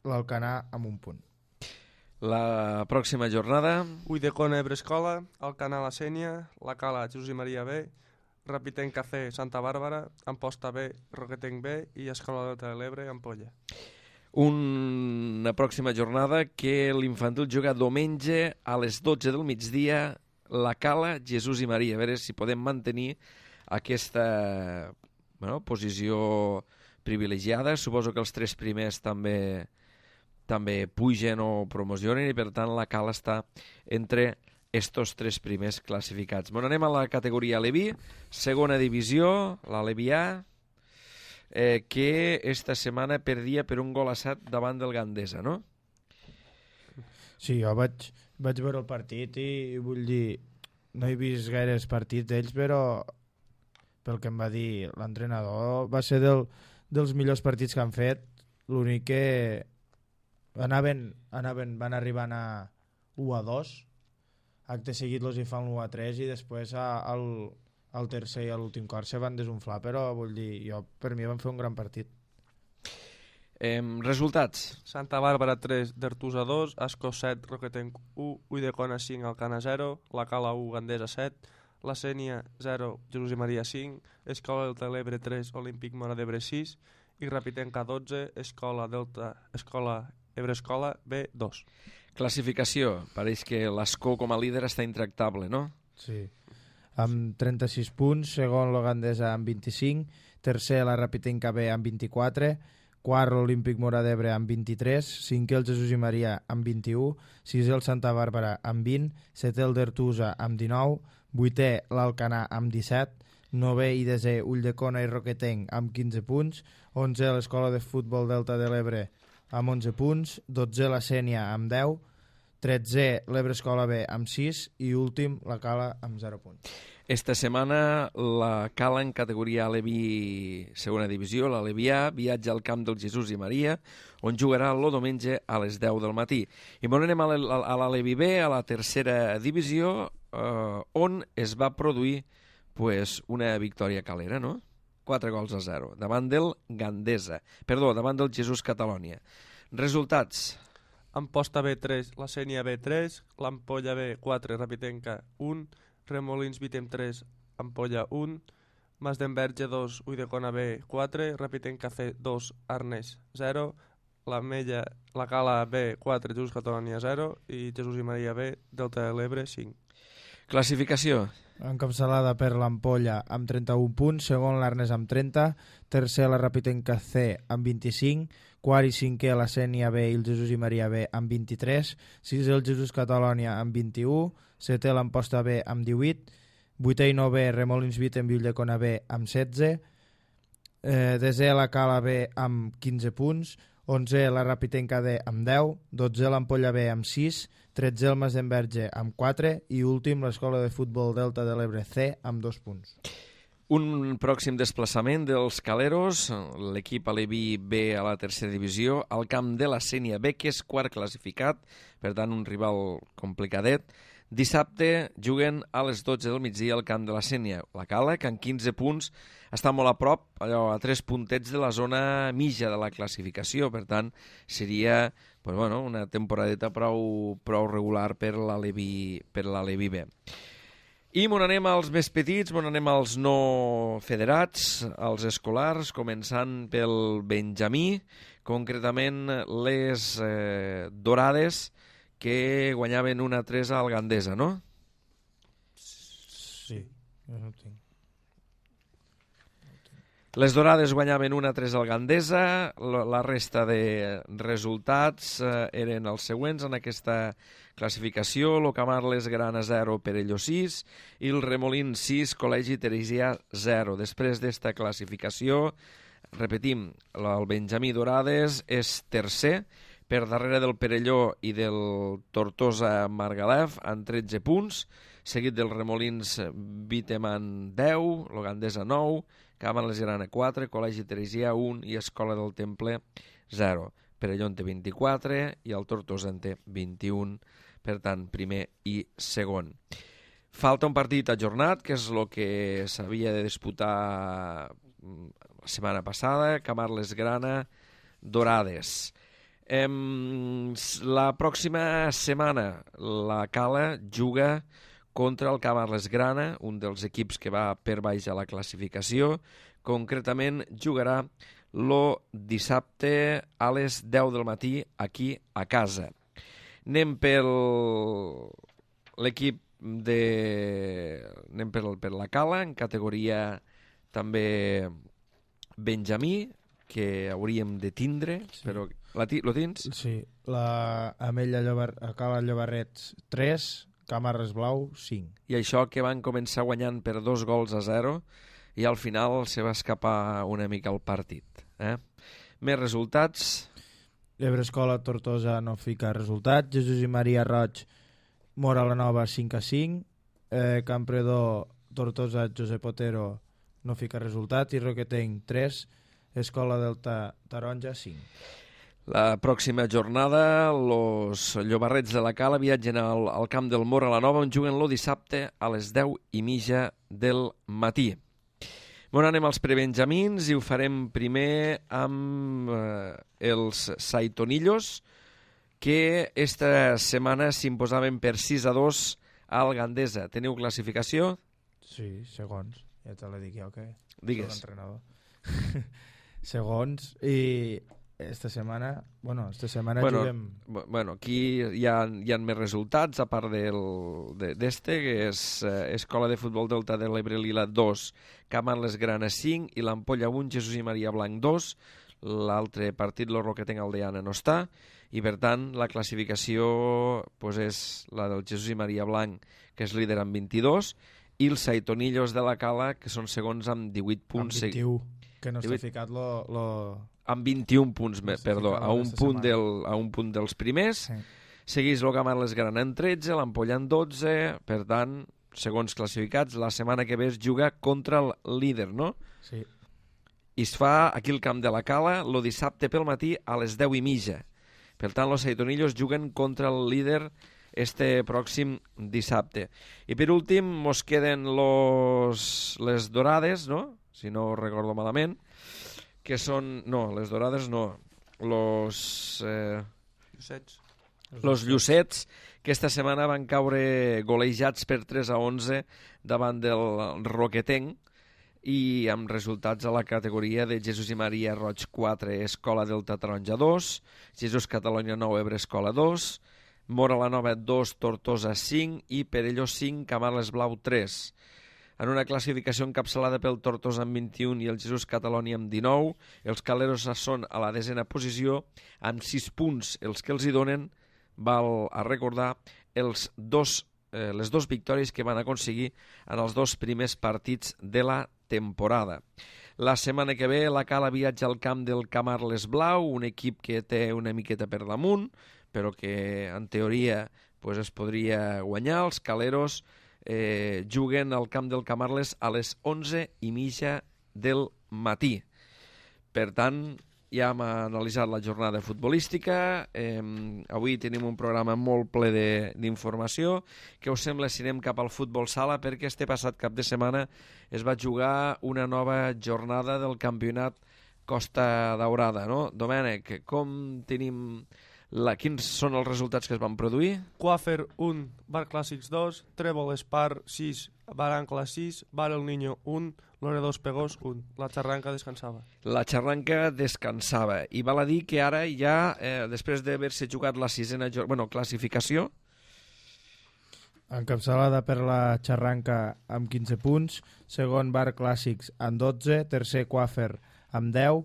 l'Alcanar amb 1 punt.
La pròxima jornada.
Ulldecona, Ebre Escola, Alcanar, la Sènia, la Cala, Jesús i Maria B, Rapitenca C, Santa Bàrbara, Amposta B, Roquetenc B i Escola Delta de l'Ebre, Ampolla.
Una pròxima jornada que l'infantil juga diumenge a les 12 del migdia, la Cala, Jesús i Maria. A veure si podem mantenir aquesta posició privilegiada. Suposo que els 3 primers també pugen o promocionen i per tant la Cala està entre estos 3 primers classificats. Anem a la categoria Aleví, segona divisió, l'Aleví A, que esta setmana perdia per 1-7 davant del Gandesa, no?
Sí, jo vaig veure el partit i vull dir, no he vist gaires partits d'ells, però pel que em va dir l'entrenador va ser dels millors partits que han fet. L'únic que van arribant a 1-2, acte seguit los hi fan l'1-3 i després al tercer i a l'últim quart se van desunflar, però vull dir, per mi van fer un gran partit.
Resultats.
Santa Bàrbara 3, Dertusa 2, Ascó 7, Roquetenc 1, Ulldecona 5, Alcana 0, la Cala 1, Gandesa 7, la Sènia 0, Jesús i Maria 5, Escola Delta de l'Ebre 3, Olímpic Mora d'Ebre 6 i Rapitenca 12, Ebre Escola B 2.
Classificació. Pareix que l'Ascó com a líder està intractable, no?
Sí. Amb 36 punts, segon la Gandesa amb 25, tercer la Rapitenca B amb 24, quart l'Olímpic Mora d'Ebre amb 23, cinquè el Jesús i Maria amb 21, sisè el Santa Bàrbara amb 20, setè el Dertusa amb 19, vuitè l'Alcanar amb 17, novè i desè Ulldecona i Roquetenc amb 15 punts, 11è l'Escola de Futbol Delta de l'Ebre amb 11 punts, 12è la Sènia amb 10, 13è l'Ebre Escola B amb 6 i últim la Cala amb 0 punts.
Esta setmana la Cala en categoria Aleví segona divisió, l'Aleví A, viatja al camp del Jesús i Maria, on jugarà el diumenge a les 10 del matí. I anem a l'Aleví B, a la tercera divisió, on es va produir una victòria calera, no? 4-0, davant del davant del Jesús Catalònia. Resultats.
Amposta B 3, la Sènia B 3, l'Ampolla B 4, Rapitenca 1, Remolins Vitem 3, Ampolla 1, Mas d'Enverge 2, Ulldecona B 4, Rapitenca C 2, Arnes 0, la Cala B 4, Jesús Catalònia 0 i Jesús i Maria B, Delta de l'Ebre 5.
Classificació.
Encapçalada per l'Ampolla amb 31 punts, segon l'Arnes amb 30, tercer la Rapitenca C amb 25, quart i cinquè la Sènia B i el Jesús i Maria B amb 23, sisè el Jesús Catalònia amb 21, setè l'Amposta B amb 18, vuitè i novè Remolins Vitem i Ulldecona B amb 16, desè la Cala B amb 15 punts, 11è la Rapitenca D amb 10, 12è l'Ampolla B amb 6, 13è el Mas d'Enverge amb 4 i últim l'Escola de Futbol Delta de l'Ebre C amb 2 punts.
Un pròxim desplaçament dels Caleros, l'equip Aleví B a la tercera divisió, al camp de la Sènia B, que és quart classificat, per tant un rival complicadet. Dissabte juguen a les 12 del migdia al camp de la Sènia. La Cala, que en 15 punts està molt a prop, allò, a 3 puntets de la zona mitja de la classificació. Per tant, seria una temporadeta prou regular per l'Aleví B. I m'on anem als més petits, m'on anem als no federats, als escolars, començant pel Benjamí, concretament les Dorades, que guanyaven 1-3 al Gandesa, no?
Sí, jo no ho tinc.
Les Dorades guanyaven 1-3 al Gandesa, la resta de resultats eren els següents en aquesta classificació: l'Ocamarles Grana 0, Perelló 6 i el Remolín 6, Col·legi Teresià 0. Després d'esta classificació, repetim, el Benjamí Dorades és tercer, per darrere del Perelló i del Tortosa Margalef, amb 13 punts, seguit dels Remolins Viteman 10, el Gandesa 9, Camarles Grana 4, Col·legi Teresià 1 i Escola del Temple 0. Perelló en té 24 i el Tortosa en té 21, per tant, primer i segon. Falta un partit ajornat, que és el que s'havia de disputar la setmana passada, Camarles Grana Dorades. La pròxima setmana la Cala juga contra el Camarles Grana, un dels equips que va per baix a la classificació. Concretament jugarà el dissabte a les 10 del matí aquí a casa. Anem per l'equip anem per la Cala, en categoria també Benjamí, que hauríem de tindre, sí. Però lo tens?
Sí, la Amella Cala Llobarrets 3, Camarles Blau 5.
I això que van començar guanyant per 2-0 i al final se va escapar una mica el partit. Més resultats.
Ebre Escola Tortosa no fica resultat. Jesús i Maria Roig Mora la Nova 5-5. Campredó Tortosa Josep Otero no fica resultat. I Roquetenc 3, Escola Delta Taronja 5.
La pròxima jornada, els Llobarrets de la Cala viatgen al camp del Mora la Nova, on juguen el dissabte a les 10:30 del matí. Bon, anem als prebenjamins i ho farem primer amb els Saitonillos, que esta setmana s'imposaven per 6-2 al Gandesa. Teniu classificació?
Sí, segons. Ja te la dic jo, que
digues.
Soc l'entrenador. Segons, i esta setmana juguem...
Bueno, aquí hi ha més resultats, a part d'este, que és Escola de Futbol Delta de l'Ebre Lila 2, Camarles Grana 5 i l'Ampolla 1, Jesús i Maria Blanc 2. L'altre partit, el Roquetenc Aldeana, no està, i per tant la classificació pues, és la del Jesús i Maria Blanc, que és líder amb 22, i els Saitonillos de la Cala, que són segons amb 18 punts.
Amb 21, que no està ficat
amb 21 punts, perdó, a un punt dels primers. Sí. Segueix el Camarles Grana en 13, l'Ampolla en 12, per tant, segons classificats, la setmana que ve es juga contra el líder, no?
Sí.
I es fa aquí al camp de la Cala el dissabte pel matí a les 10:30. Per tant, els Saitonillos juguen contra el líder este pròxim dissabte. I per últim mos queden les Dorades, no? Si no recordo malament, que són... No, les Dorades no. Los Llucets, que esta setmana van caure golejats per 3-11 davant del Roquetenc, i amb resultats a la categoria de Jesús i Maria Roig 4, Escola Delta Taronja 2, Jesús Catalunya 9, Ebre Escola 2, Mora la Nova 2, Tortosa 5 i Perelló 5, Camarles Blau 3. En una classificació encapçalada pel Tortosa amb 21 i el Jesús Catalunya amb 19, els caleros són a la 10a posició amb 6 punts. Els que els hi donen, val a recordar, les dos victòries que van aconseguir en els dos primers partits de la temporada. La setmana que ve la Cala viatja al camp del Camarles Blau, un equip que té una miqueta per damunt, però que en teoria pues, es podria guanyar. Els caleros juguen al camp del Camarles a les 11:30 del matí. Per tant, ja hem analitzat la jornada futbolística. Avui tenim un programa molt ple d'informació. Què us sembla si anem cap al futbol sala? Perquè este passat cap de setmana es va jugar una nova jornada del campionat Costa Daurada, no? Domènec, com tenim Quins són els resultats que es van produir?
Quafer 1, Bar Clàssics 2, Trèvol Espar 6, Bar Ancla 6, Bar El Niño 1, Loredo Espegós 1. La xarranca descansava.
La xarranca descansava. I val a dir que ara ja, després d'haver-se jugat la sisena classificació,
encapçalada per la xarranca amb 15 punts, segon Bar Clàssics amb 12, tercer Quafer amb 10,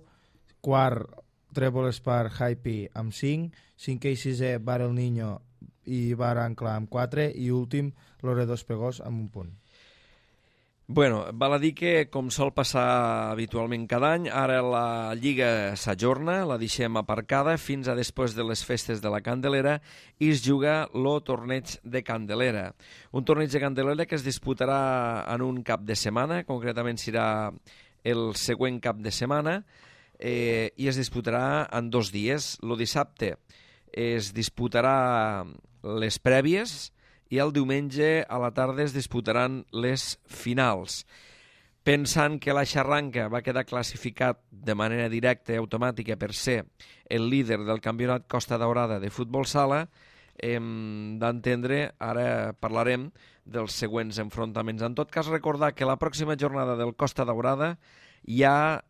quart Trèvol Espar Hype amb 5, cinquè i sisè Bar El Niño i Bar Ancla amb 4 i últim Loredo Espegós amb 1 punt.
Bueno, val a dir que, com sol passar habitualment cada any, ara la Lliga s'ajorna, la deixem aparcada fins a després de les festes de la Candelera i es juga el torneig de Candelera. Un torneig de Candelera que es disputarà en un cap de setmana, concretament serà el següent cap de setmana, i es disputarà en 2 dies. El dissabte es disputarà les prèvies i el diumenge a la tarda es disputaran les finals. Pensant que la xarranca va quedar classificat de manera directa i automàtica per ser el líder del campionat Costa Daurada de futbol sala, hem d'entendre, ara parlarem dels següents enfrontaments. En tot cas, recordar que la pròxima jornada del Costa Daurada ja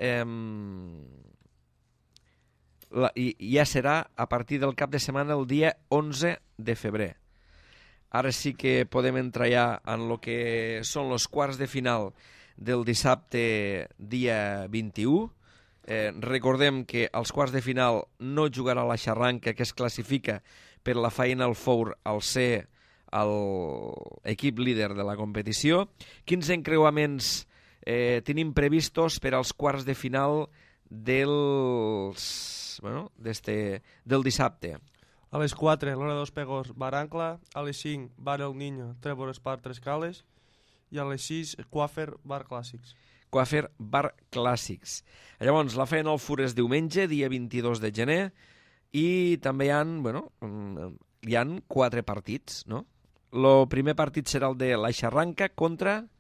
serà a partir del cap de setmana el dia 11 de febrer. Ara sí que podem entrar ja en el que són els quarts de final del dissabte dia 21. Recordem que als quarts de final no jugarà la xarranca, que es classifica per la Final Four al ser l'equip líder de la competició. Quins encreuaments tenim previstos per als quarts de final del dissabte?
A les 4, Loredo Espegós, Bar Ancla. A les 5, Bar El Niño, Trèvol Espar, Tres Cales. I a les 6, Quafer, Bar Clàssics.
Quafer, Bar Clàssics. Llavors, la Final Four és diumenge, dia 22 de gener, i també hi ha 4 partits, no? El primer partit serà el de la xarranca contra...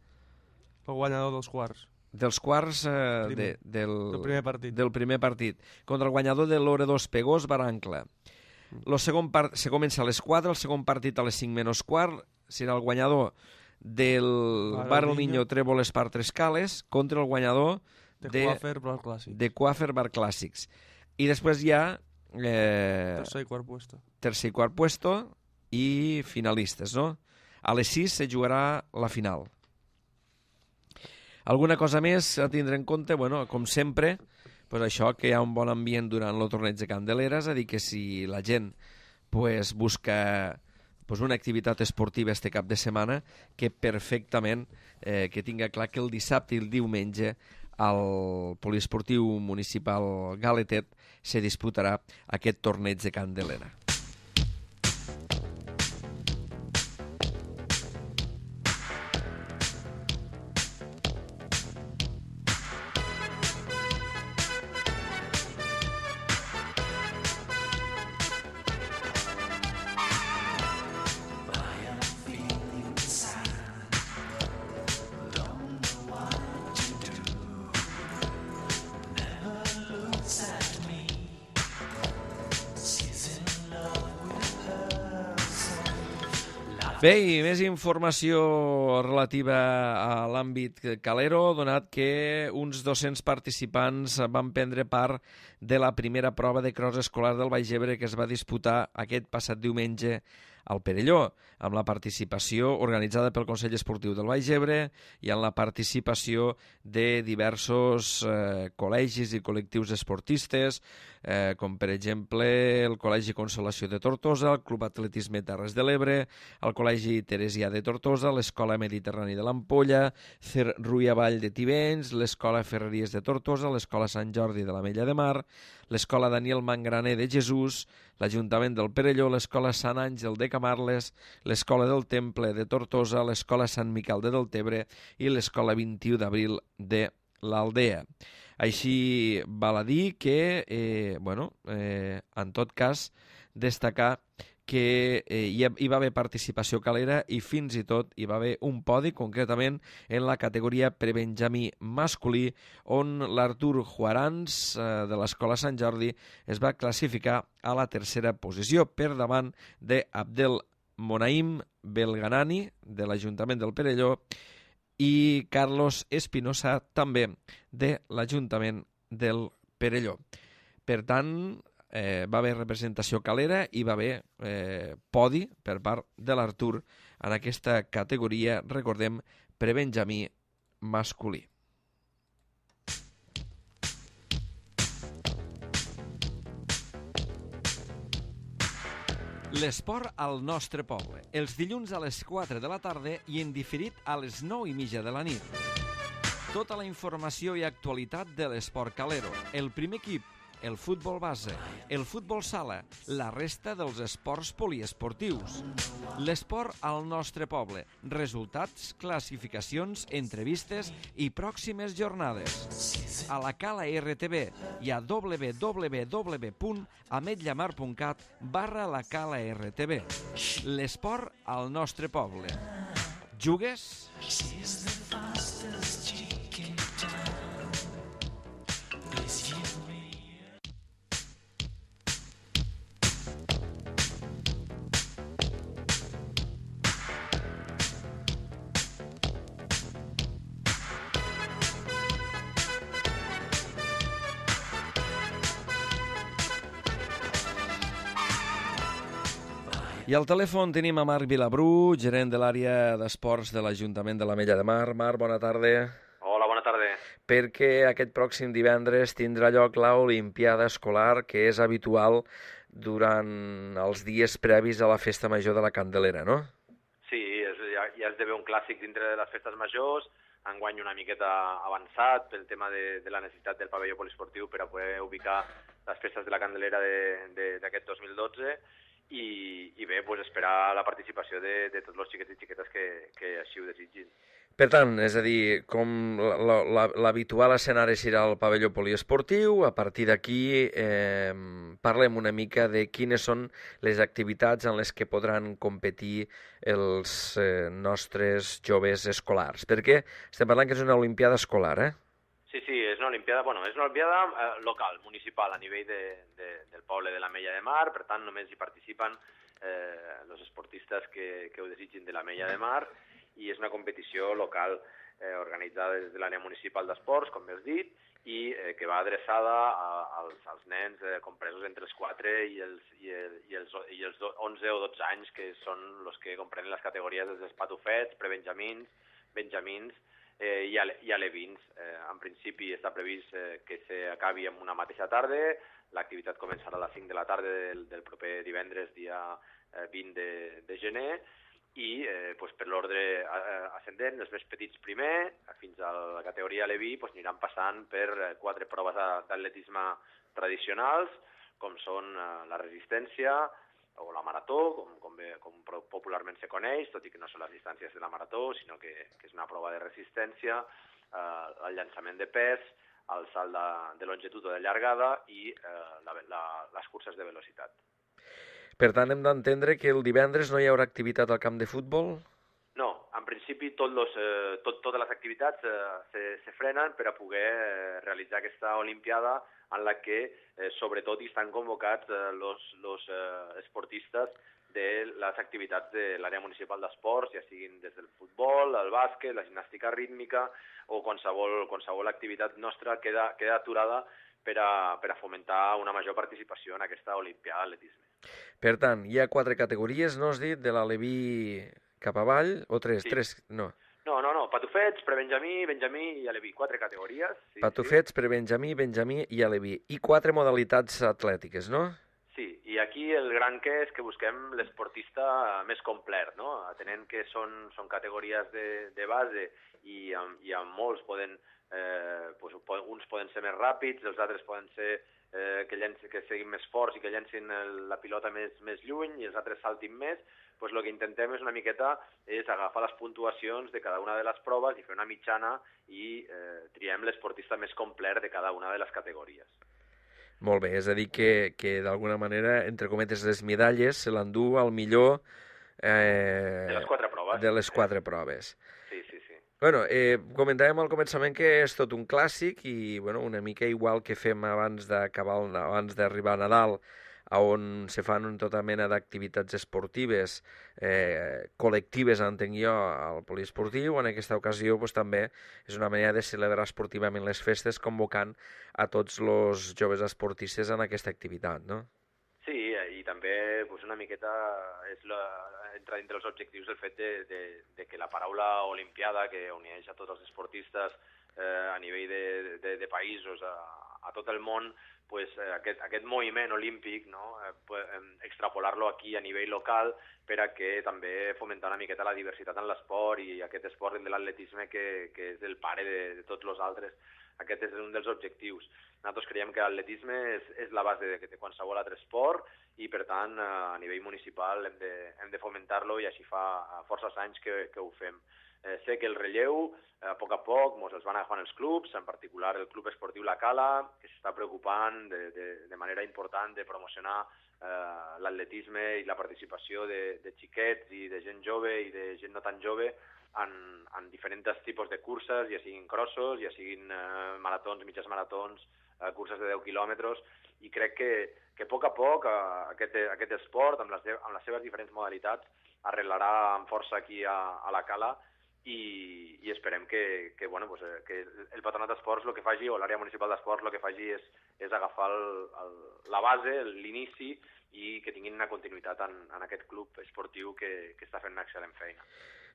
El guanyador dels quarts.
Dels quarts
del
primer partit. Contra el guanyador de Loredo Espegós, Bar Ancla. Se comença a les 4, el segon partit a les 5 menys quart, serà el guanyador del Bar El Niño Trèvol Espar Tres Cales contra el guanyador
de
Quafer Bar Clàssics. I després hi ha
tercer i
quart puesto i finalistes, no? A les 6 se jugarà la final. Alguna cosa més a tindre en compte? Bueno, com sempre, pues això, que hi ha un bon ambient durant el torneig de Candelera, és a dir, que si la gent busca una activitat esportiva este cap de setmana, que perfectament que tinga clar que el dissabte i el diumenge al poliesportiu municipal Galetet se disputarà aquest torneig de Candelera. Bé, i més informació relativa a l'àmbit calero, donat que uns 200 participants van prendre part de la primera prova de cross escolar del Baix Ebre que es va disputar aquest passat diumenge al Perelló, amb la participació organitzada pel Consell Esportiu del Baix Ebre i amb la participació de diversos col·legis i col·lectius esportistes, com per exemple el Col·legi Consolació de Tortosa, el Club Atletisme Terres de l'Ebre, el Col·legi Teresià de Tortosa, l'Escola Mediterrani de l'Ampolla, CER Ruia Vall de Tivenys, l'Escola Ferreries de Tortosa, l'Escola Sant Jordi de l'Ametlla de Mar, l'Escola Daniel Mangraner de Jesús, l'Ajuntament del Perelló, l'Escola Sant Àngel de Camarles, l'Escola del Temple de Tortosa, l'Escola Sant Miquel de Deltebre i l'Escola 21 d'Abril de l'Aldea. Així val a dir que, en tot cas, destacar que hi va haver participació calera i fins i tot hi va haver un podi, concretament en la categoria prebenjamí masculí, on l'Artur Juarans de l'Escola Sant Jordi es va classificar a la tercera posició per davant d'Abdel Monaim Belganani de l'Ajuntament del Perelló i Carlos Espinosa també de l'Ajuntament del Perelló. Per tant, va haver representació calera i va haver podi per part de l'Artur en aquesta categoria, recordem, prebenjamí masculí. L'esport al nostre poble, els dilluns a les 4 de la tarda i en diferit a les 9:30 de la nit. Tota la informació i actualitat de l'esport calero, el primer equip, el futbol base, el futbol sala, la resta dels esports poliesportius. L'esport al nostre poble, resultats, classificacions, entrevistes i pròximes jornades. A la Cala RTV i a www.ametllamar.cat/la Cala RTV. L'esport al nostre poble. Jugues? I al telèfon tenim a Marc Vilabrú, gerent de l'àrea d'esports de l'Ajuntament de l'Ametlla de Mar. Marc, bona tarda.
Hola, bona tarda.
Perquè aquest pròxim divendres tindrà lloc l'Olimpiada Escolar, que és habitual durant els dies previs a la Festa Major de la Candelera, no?
Sí, ja esdevé un clàssic dintre de les festes majors, enguany una miqueta avançat pel tema de la necessitat del pavelló poliesportiu per a poder ubicar les festes de la Candelera d'aquest 2012 i bé, pues esperar la participació de tots els xiquets i xiquetes que així ho desitgin.
Per tant, és a dir, com l'habitual escenari serà el pavelló poliesportiu, a partir d'aquí parlem una mica de quines són les activitats en les que podran competir els nostres joves escolars, perquè estem parlant que és una olimpiada escolar, eh?
Sí, és una olimpiada, és una olimpiada local, municipal, a nivell del poble de l'Ametlla de Mar, per tant només hi participen els esportistes que ho desitgin de l'Ametlla de Mar, i és una competició local organitzada des de l'àrea municipal d'esports, com has dit, i que va adreçada als nens compresos entre els 4 i els 11 o 12 anys, que són els que comprenen les categories dels patufets, prebenjamins, benjamins i alevins. En principi està previst que s'acabi en una mateixa tarda. L'activitat començarà a les 5 de la tarda del proper divendres, dia 20 de gener, i per l'ordre ascendent, els més petits primer, fins a la categoria aleví, aniran passant per 4 proves d'atletisme tradicionals, com són la resistència o la marató, com popularment se coneix, tot i que no són les distàncies de la marató, sinó que és una prova de resistència, el llançament de pes, el salt de longitud o de llargada i les curses de velocitat.
Per tant, hem d'entendre que el divendres no hi haurà activitat al camp de futbol?
No, en principi totes les activitats se frenen per a poder realitzar aquesta olimpiada en la que sobretot hi estan convocats els esportistes de les activitats de l'àrea municipal d'esports, ja siguin des del futbol, el bàsquet, la gimnàstica rítmica o qualsevol activitat nostra queda aturada per a fomentar una major participació en aquesta olimpiada d'atletisme.
Per tant, hi ha 4 categories, no has dit, de l'aleví cap avall, o 3?
Sí.
3, no.
No, patufets, prebenjamí, benjamí i aleví, 4 categories. Sí,
patufets, prebenjamí, benjamí i aleví. I 4 modalitats atlètiques, no?
Sí, i aquí el gran que és que busquem l'esportista més complet, no? Atenent que són categories de base i amb molts poden, uns poden ser més ràpids, els altres poden ser que siguin més forts i que llencin la pilota més lluny i els altres saltin més. El que intentem és una miqueta agafar les puntuacions de cada una de les proves i fer una mitjana i triem l'esportista més complet de cada una de les categories.
Molt bé, és a dir que d'alguna manera, entre cometes, les medalles se l'endú al millor
De les 4 proves.
de les 4 proves.
Sí.
Bueno, comentàvem al començament que és tot un clàssic i bueno, una mica igual que fem abans d'arribar a Nadal, on se fan tota mena d'activitats esportives col·lectives, entenc jo, al poliesportiu. En aquesta ocasió pues, també és una manera de celebrar esportivament les festes convocant a tots els joves esportistes en aquesta activitat, no?
Sí, i també pues, una miqueta entra dintre dels objectius el fet de que la paraula olimpiada, que uneix a tots els esportistes a nivell de països a tot el món, pues, aquest moviment olímpic, no? Extrapolar-lo aquí a nivell local per a que també fomentar una miqueta la diversitat en l'esport i aquest esport de l'atletisme que és el pare de tots els altres. Aquest és un dels objectius. Nosaltres creiem que l'atletisme és la base de qualsevol altre esport i, per tant, a nivell municipal hem de fomentar-lo i així fa forces anys que ho fem. Sé que el relleu, a poc, ens els van agafant els clubs, en particular el Club Esportiu La Cala, que s'està preocupant de manera important de promocionar l'atletisme i la participació de xiquets i de gent jove i de gent no tan jove en diferents tipus de curses, ja siguin crossos, ja siguin maratons, mitges maratons, curses de 10 quilòmetres, i crec que a poc aquest esport, amb les seves diferents modalitats, arreglarà amb força aquí a la Cala i esperem que el Patronat d'Esports el que faci, o l'àrea municipal d'esports el que faci és agafar la base, l'inici, i que tinguin una continuïtat en aquest club esportiu que està fent una excel·lent feina.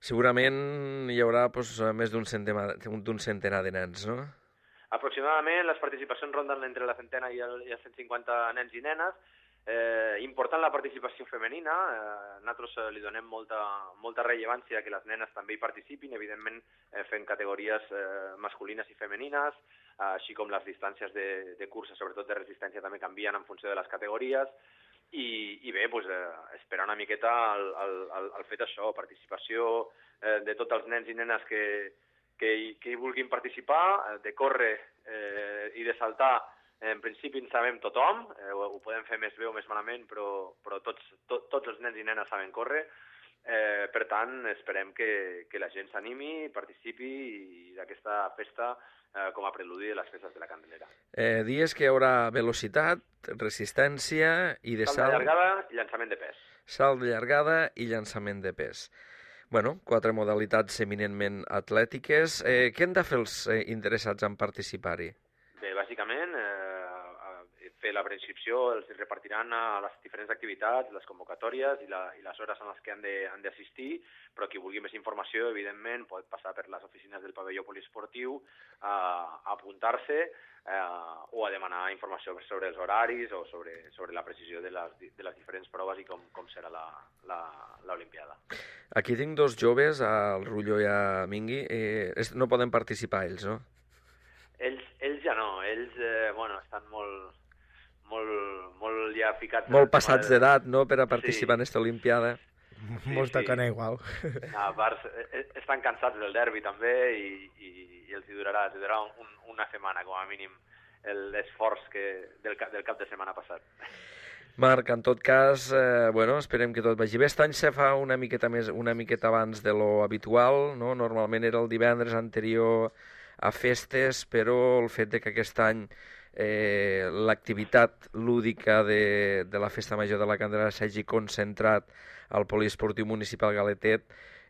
Segurament hi haurà més d'un centenar de nens, no?
Aproximadament les participacions ronden entre la centena i els 150 nens i nenes. Important la participació femenina, nosaltres li donem molta rellevància que les nenes també hi participin, evidentment fent categories masculines i femenines, així com les distàncies de cursa, sobretot de resistència, també canvien en funció de les categories, i bé, esperar una miqueta el fet això, participació de tots els nens i nenes que hi vulguin participar, de córrer i de saltar. En principi en sabem tothom, ho podem fer més bé o més malament, però tots els nens i nenes saben córrer. Per tant, esperem que la gent s'animi, participi d'aquesta festa com a preludi de les festes de la Candelera.
Dies que hi haurà velocitat, resistència i de
salt de llargada i llançament de pes.
Salt de llargada i llançament de pes. Bueno, 4 modalitats eminentment atlètiques. Què han de fer els interessats en participar-hi?
Bé, bàsicament, fer la preinscripció, els repartiran a les diferents activitats, les convocatòries i les hores en les que han d'assistir, però qui vulgui més informació, evidentment, pot passar per les oficines del pavelló poliesportiu a apuntar-se o a demanar informació sobre els horaris o sobre la precisió de les diferents proves i com serà l'Olimpiada.
Aquí tinc 2 joves, el Rullo i a Mingui. No poden participar ells, no?
Ells ja no, ells estan molt ja ficats...
Molt passats d'edat, no?, per a participar en aquesta Olimpiada.
Molts tocant igual.
A part, estan cansats del derbi també i els durarà una setmana, com a mínim, l'esforç del cap de setmana passat.
Marc, en tot cas, esperem que tot vagi bé. Aquest any se fa una miqueta abans de lo habitual, no? Normalment era el divendres anterior a festes, però el fet de que aquest any l'activitat lúdica de la Festa Major de la Candelera s'hagi concentrat al Poliesportiu Municipal Galetet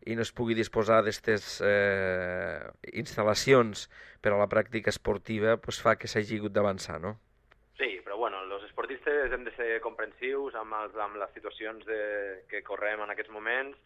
i no es pugui disposar d'aquestes instal·lacions per a la pràctica esportiva, doncs fa que s'hagi hagut d'avançar, no?
Sí, però els esportistes hem de ser comprensius amb les situacions que correm en aquests moments.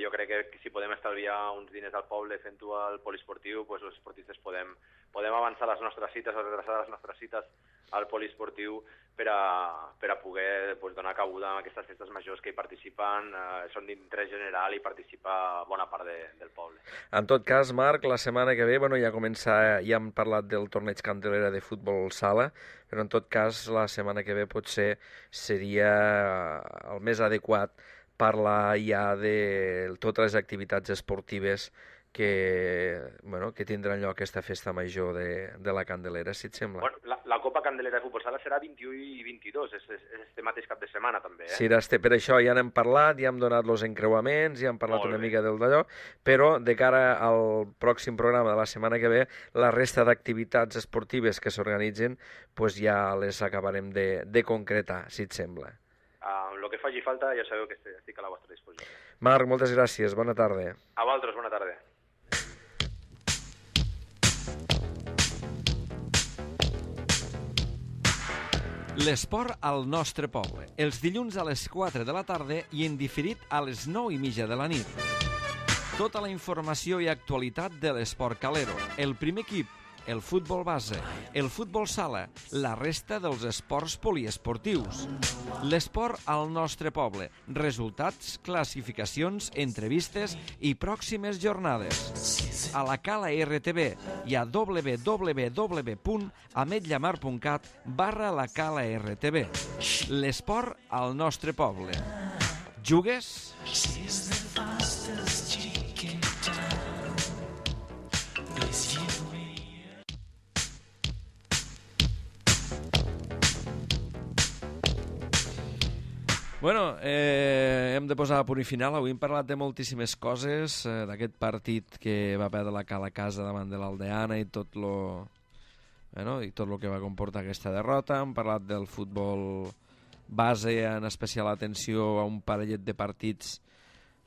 Jo crec que si podem estalviar uns diners al poble fent-ho al poliesportiu, doncs els esportistes podem avançar les nostres cites o retrasar les nostres cites al poliesportiu per a poder donar cabuda a aquestes festes majors que hi participen, són d'interès general i participa bona part del poble.
En tot cas, Marc, la setmana que ve, ja hem parlat del torneig Candelera de futbol sala, però en tot cas la setmana que ve potser seria el més adequat parlar ja de totes les activitats esportives que tindran lloc aquesta festa major de la Candelera, si et sembla.
Bueno, la Copa Candelera de Futbol Sala serà 21 i 22, és este mateix cap de setmana també, eh?
Sí, per això ja n'hem parlat, ja hem donat els encreuaments, ja hem parlat una mica del d'allò, però de cara al pròxim programa de la setmana que ve, la resta d'activitats esportives que s'organitzen pues ja les acabarem de concretar, si et sembla.
Lo que faci falta ja sabeu que estic a la vostra disposició.
Marc, moltes gràcies, bona tarda.
A vosaltres, bona tarda.
L'esport al nostre poble, els dilluns a les 4 de la tarda i en diferit a les 9:30 de la nit. Tota la informació i actualitat de l'esport calero, el primer equip, el futbol base, el futbol sala, la resta dels esports poliesportius. L'esport al nostre poble, resultats, classificacions, entrevistes i pròximes jornades. A la Cala RTV i a www.ametllamar.cat/la Cala RTV. L'esport al nostre poble. Jugues? Bueno, hem de posar a punt i final. Avui hem parlat de moltíssimes coses, d'aquest partit que va perdre la Cala a casa davant de l'Aldeana i tot lo que va comportar aquesta derrota. Hem parlat del futbol base, en especial atenció a un parellet de partits,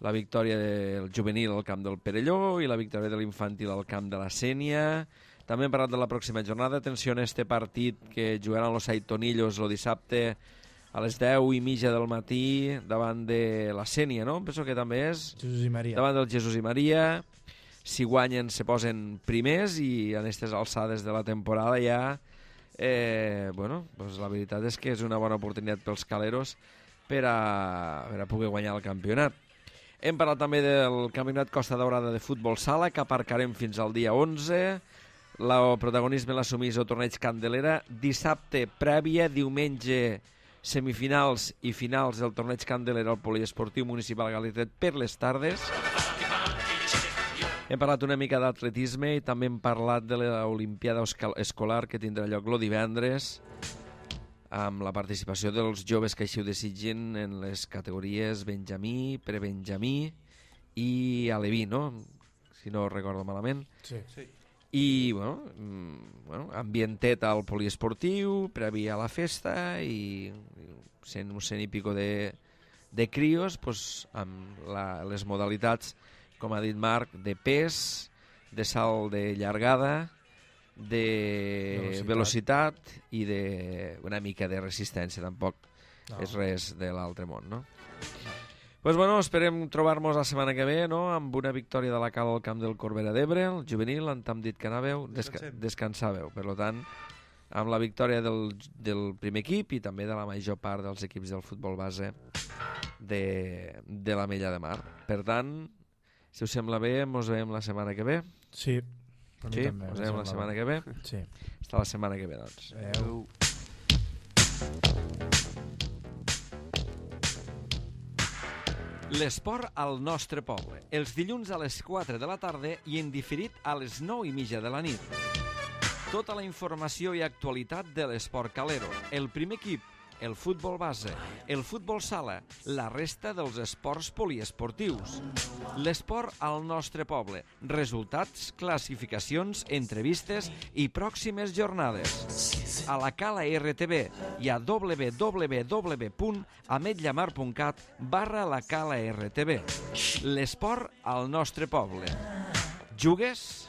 la victòria del juvenil al camp del Perelló i la victòria de l'infantil al camp de la Sénia. També hem parlat de la pròxima jornada. Atenció a este partit que jugaran los Aitonillos el dissabte a les 10:30 del matí davant de la Sénia, no? Penso que també és
Jesús i Maria.
Davant del Jesús i Maria. Si guanyen se posen primers i en aquestes alçades de la temporada ja pues la veritat és que és una bona oportunitat pels caleros per a poder guanyar el campionat. Hem parlat també del campionat Costa Daurada de futbol sala, que aparcarem fins al dia 11. El protagonisme l'assumís el torneig Candelera. Dissabte prèvia, diumenge semifinals i finals del torneig Candelera al Poliesportiu Municipal Galitet per les tardes. Hem parlat una mica d'atletisme i també hem parlat de l'Olimpiada Escolar que tindrà lloc el divendres amb la participació dels joves que així ho desitgin en les categories Benjamí, Prebenjamí i Aleví, no? Si no recordo malament.
Sí.
I, ambientet al poliesportiu, previ a la festa i un cent i pico de crios, pues, amb les modalitats, com ha dit Marc, de pes, de salt de llargada, de velocitat i una mica de resistència. Tampoc és res de l'altre món, no? Pues bueno, esperem trobar-nos la setmana que ve, no?, amb una victòria de la Cala al camp del Corbera d'Ebre, el juvenil, on hem dit que anàveu, descansàveu. Per tant, amb la victòria del primer equip i també de la major part dels equips del futbol base de l'Ametlla de Mar. Per tant, si us sembla bé, ens veiem la setmana que ve.
Sí.
Sí, ens veiem la setmana que ve.
Sí.
Fins la setmana que ve, doncs.
Adéu.
L'esport al nostre poble, els dilluns a les 4 de la tarda i en diferit a les 9:30 de la nit. Tota la informació i actualitat de l'esport calero, el primer equip, el futbol base, el futbol sala, la resta dels esports poliesportius. L'esport al nostre poble, resultats, classificacions, entrevistes i pròximes jornades. A la Cala RTV i a www.ametllamar.cat/la Cala RTV. L'esport al nostre poble. Jugues?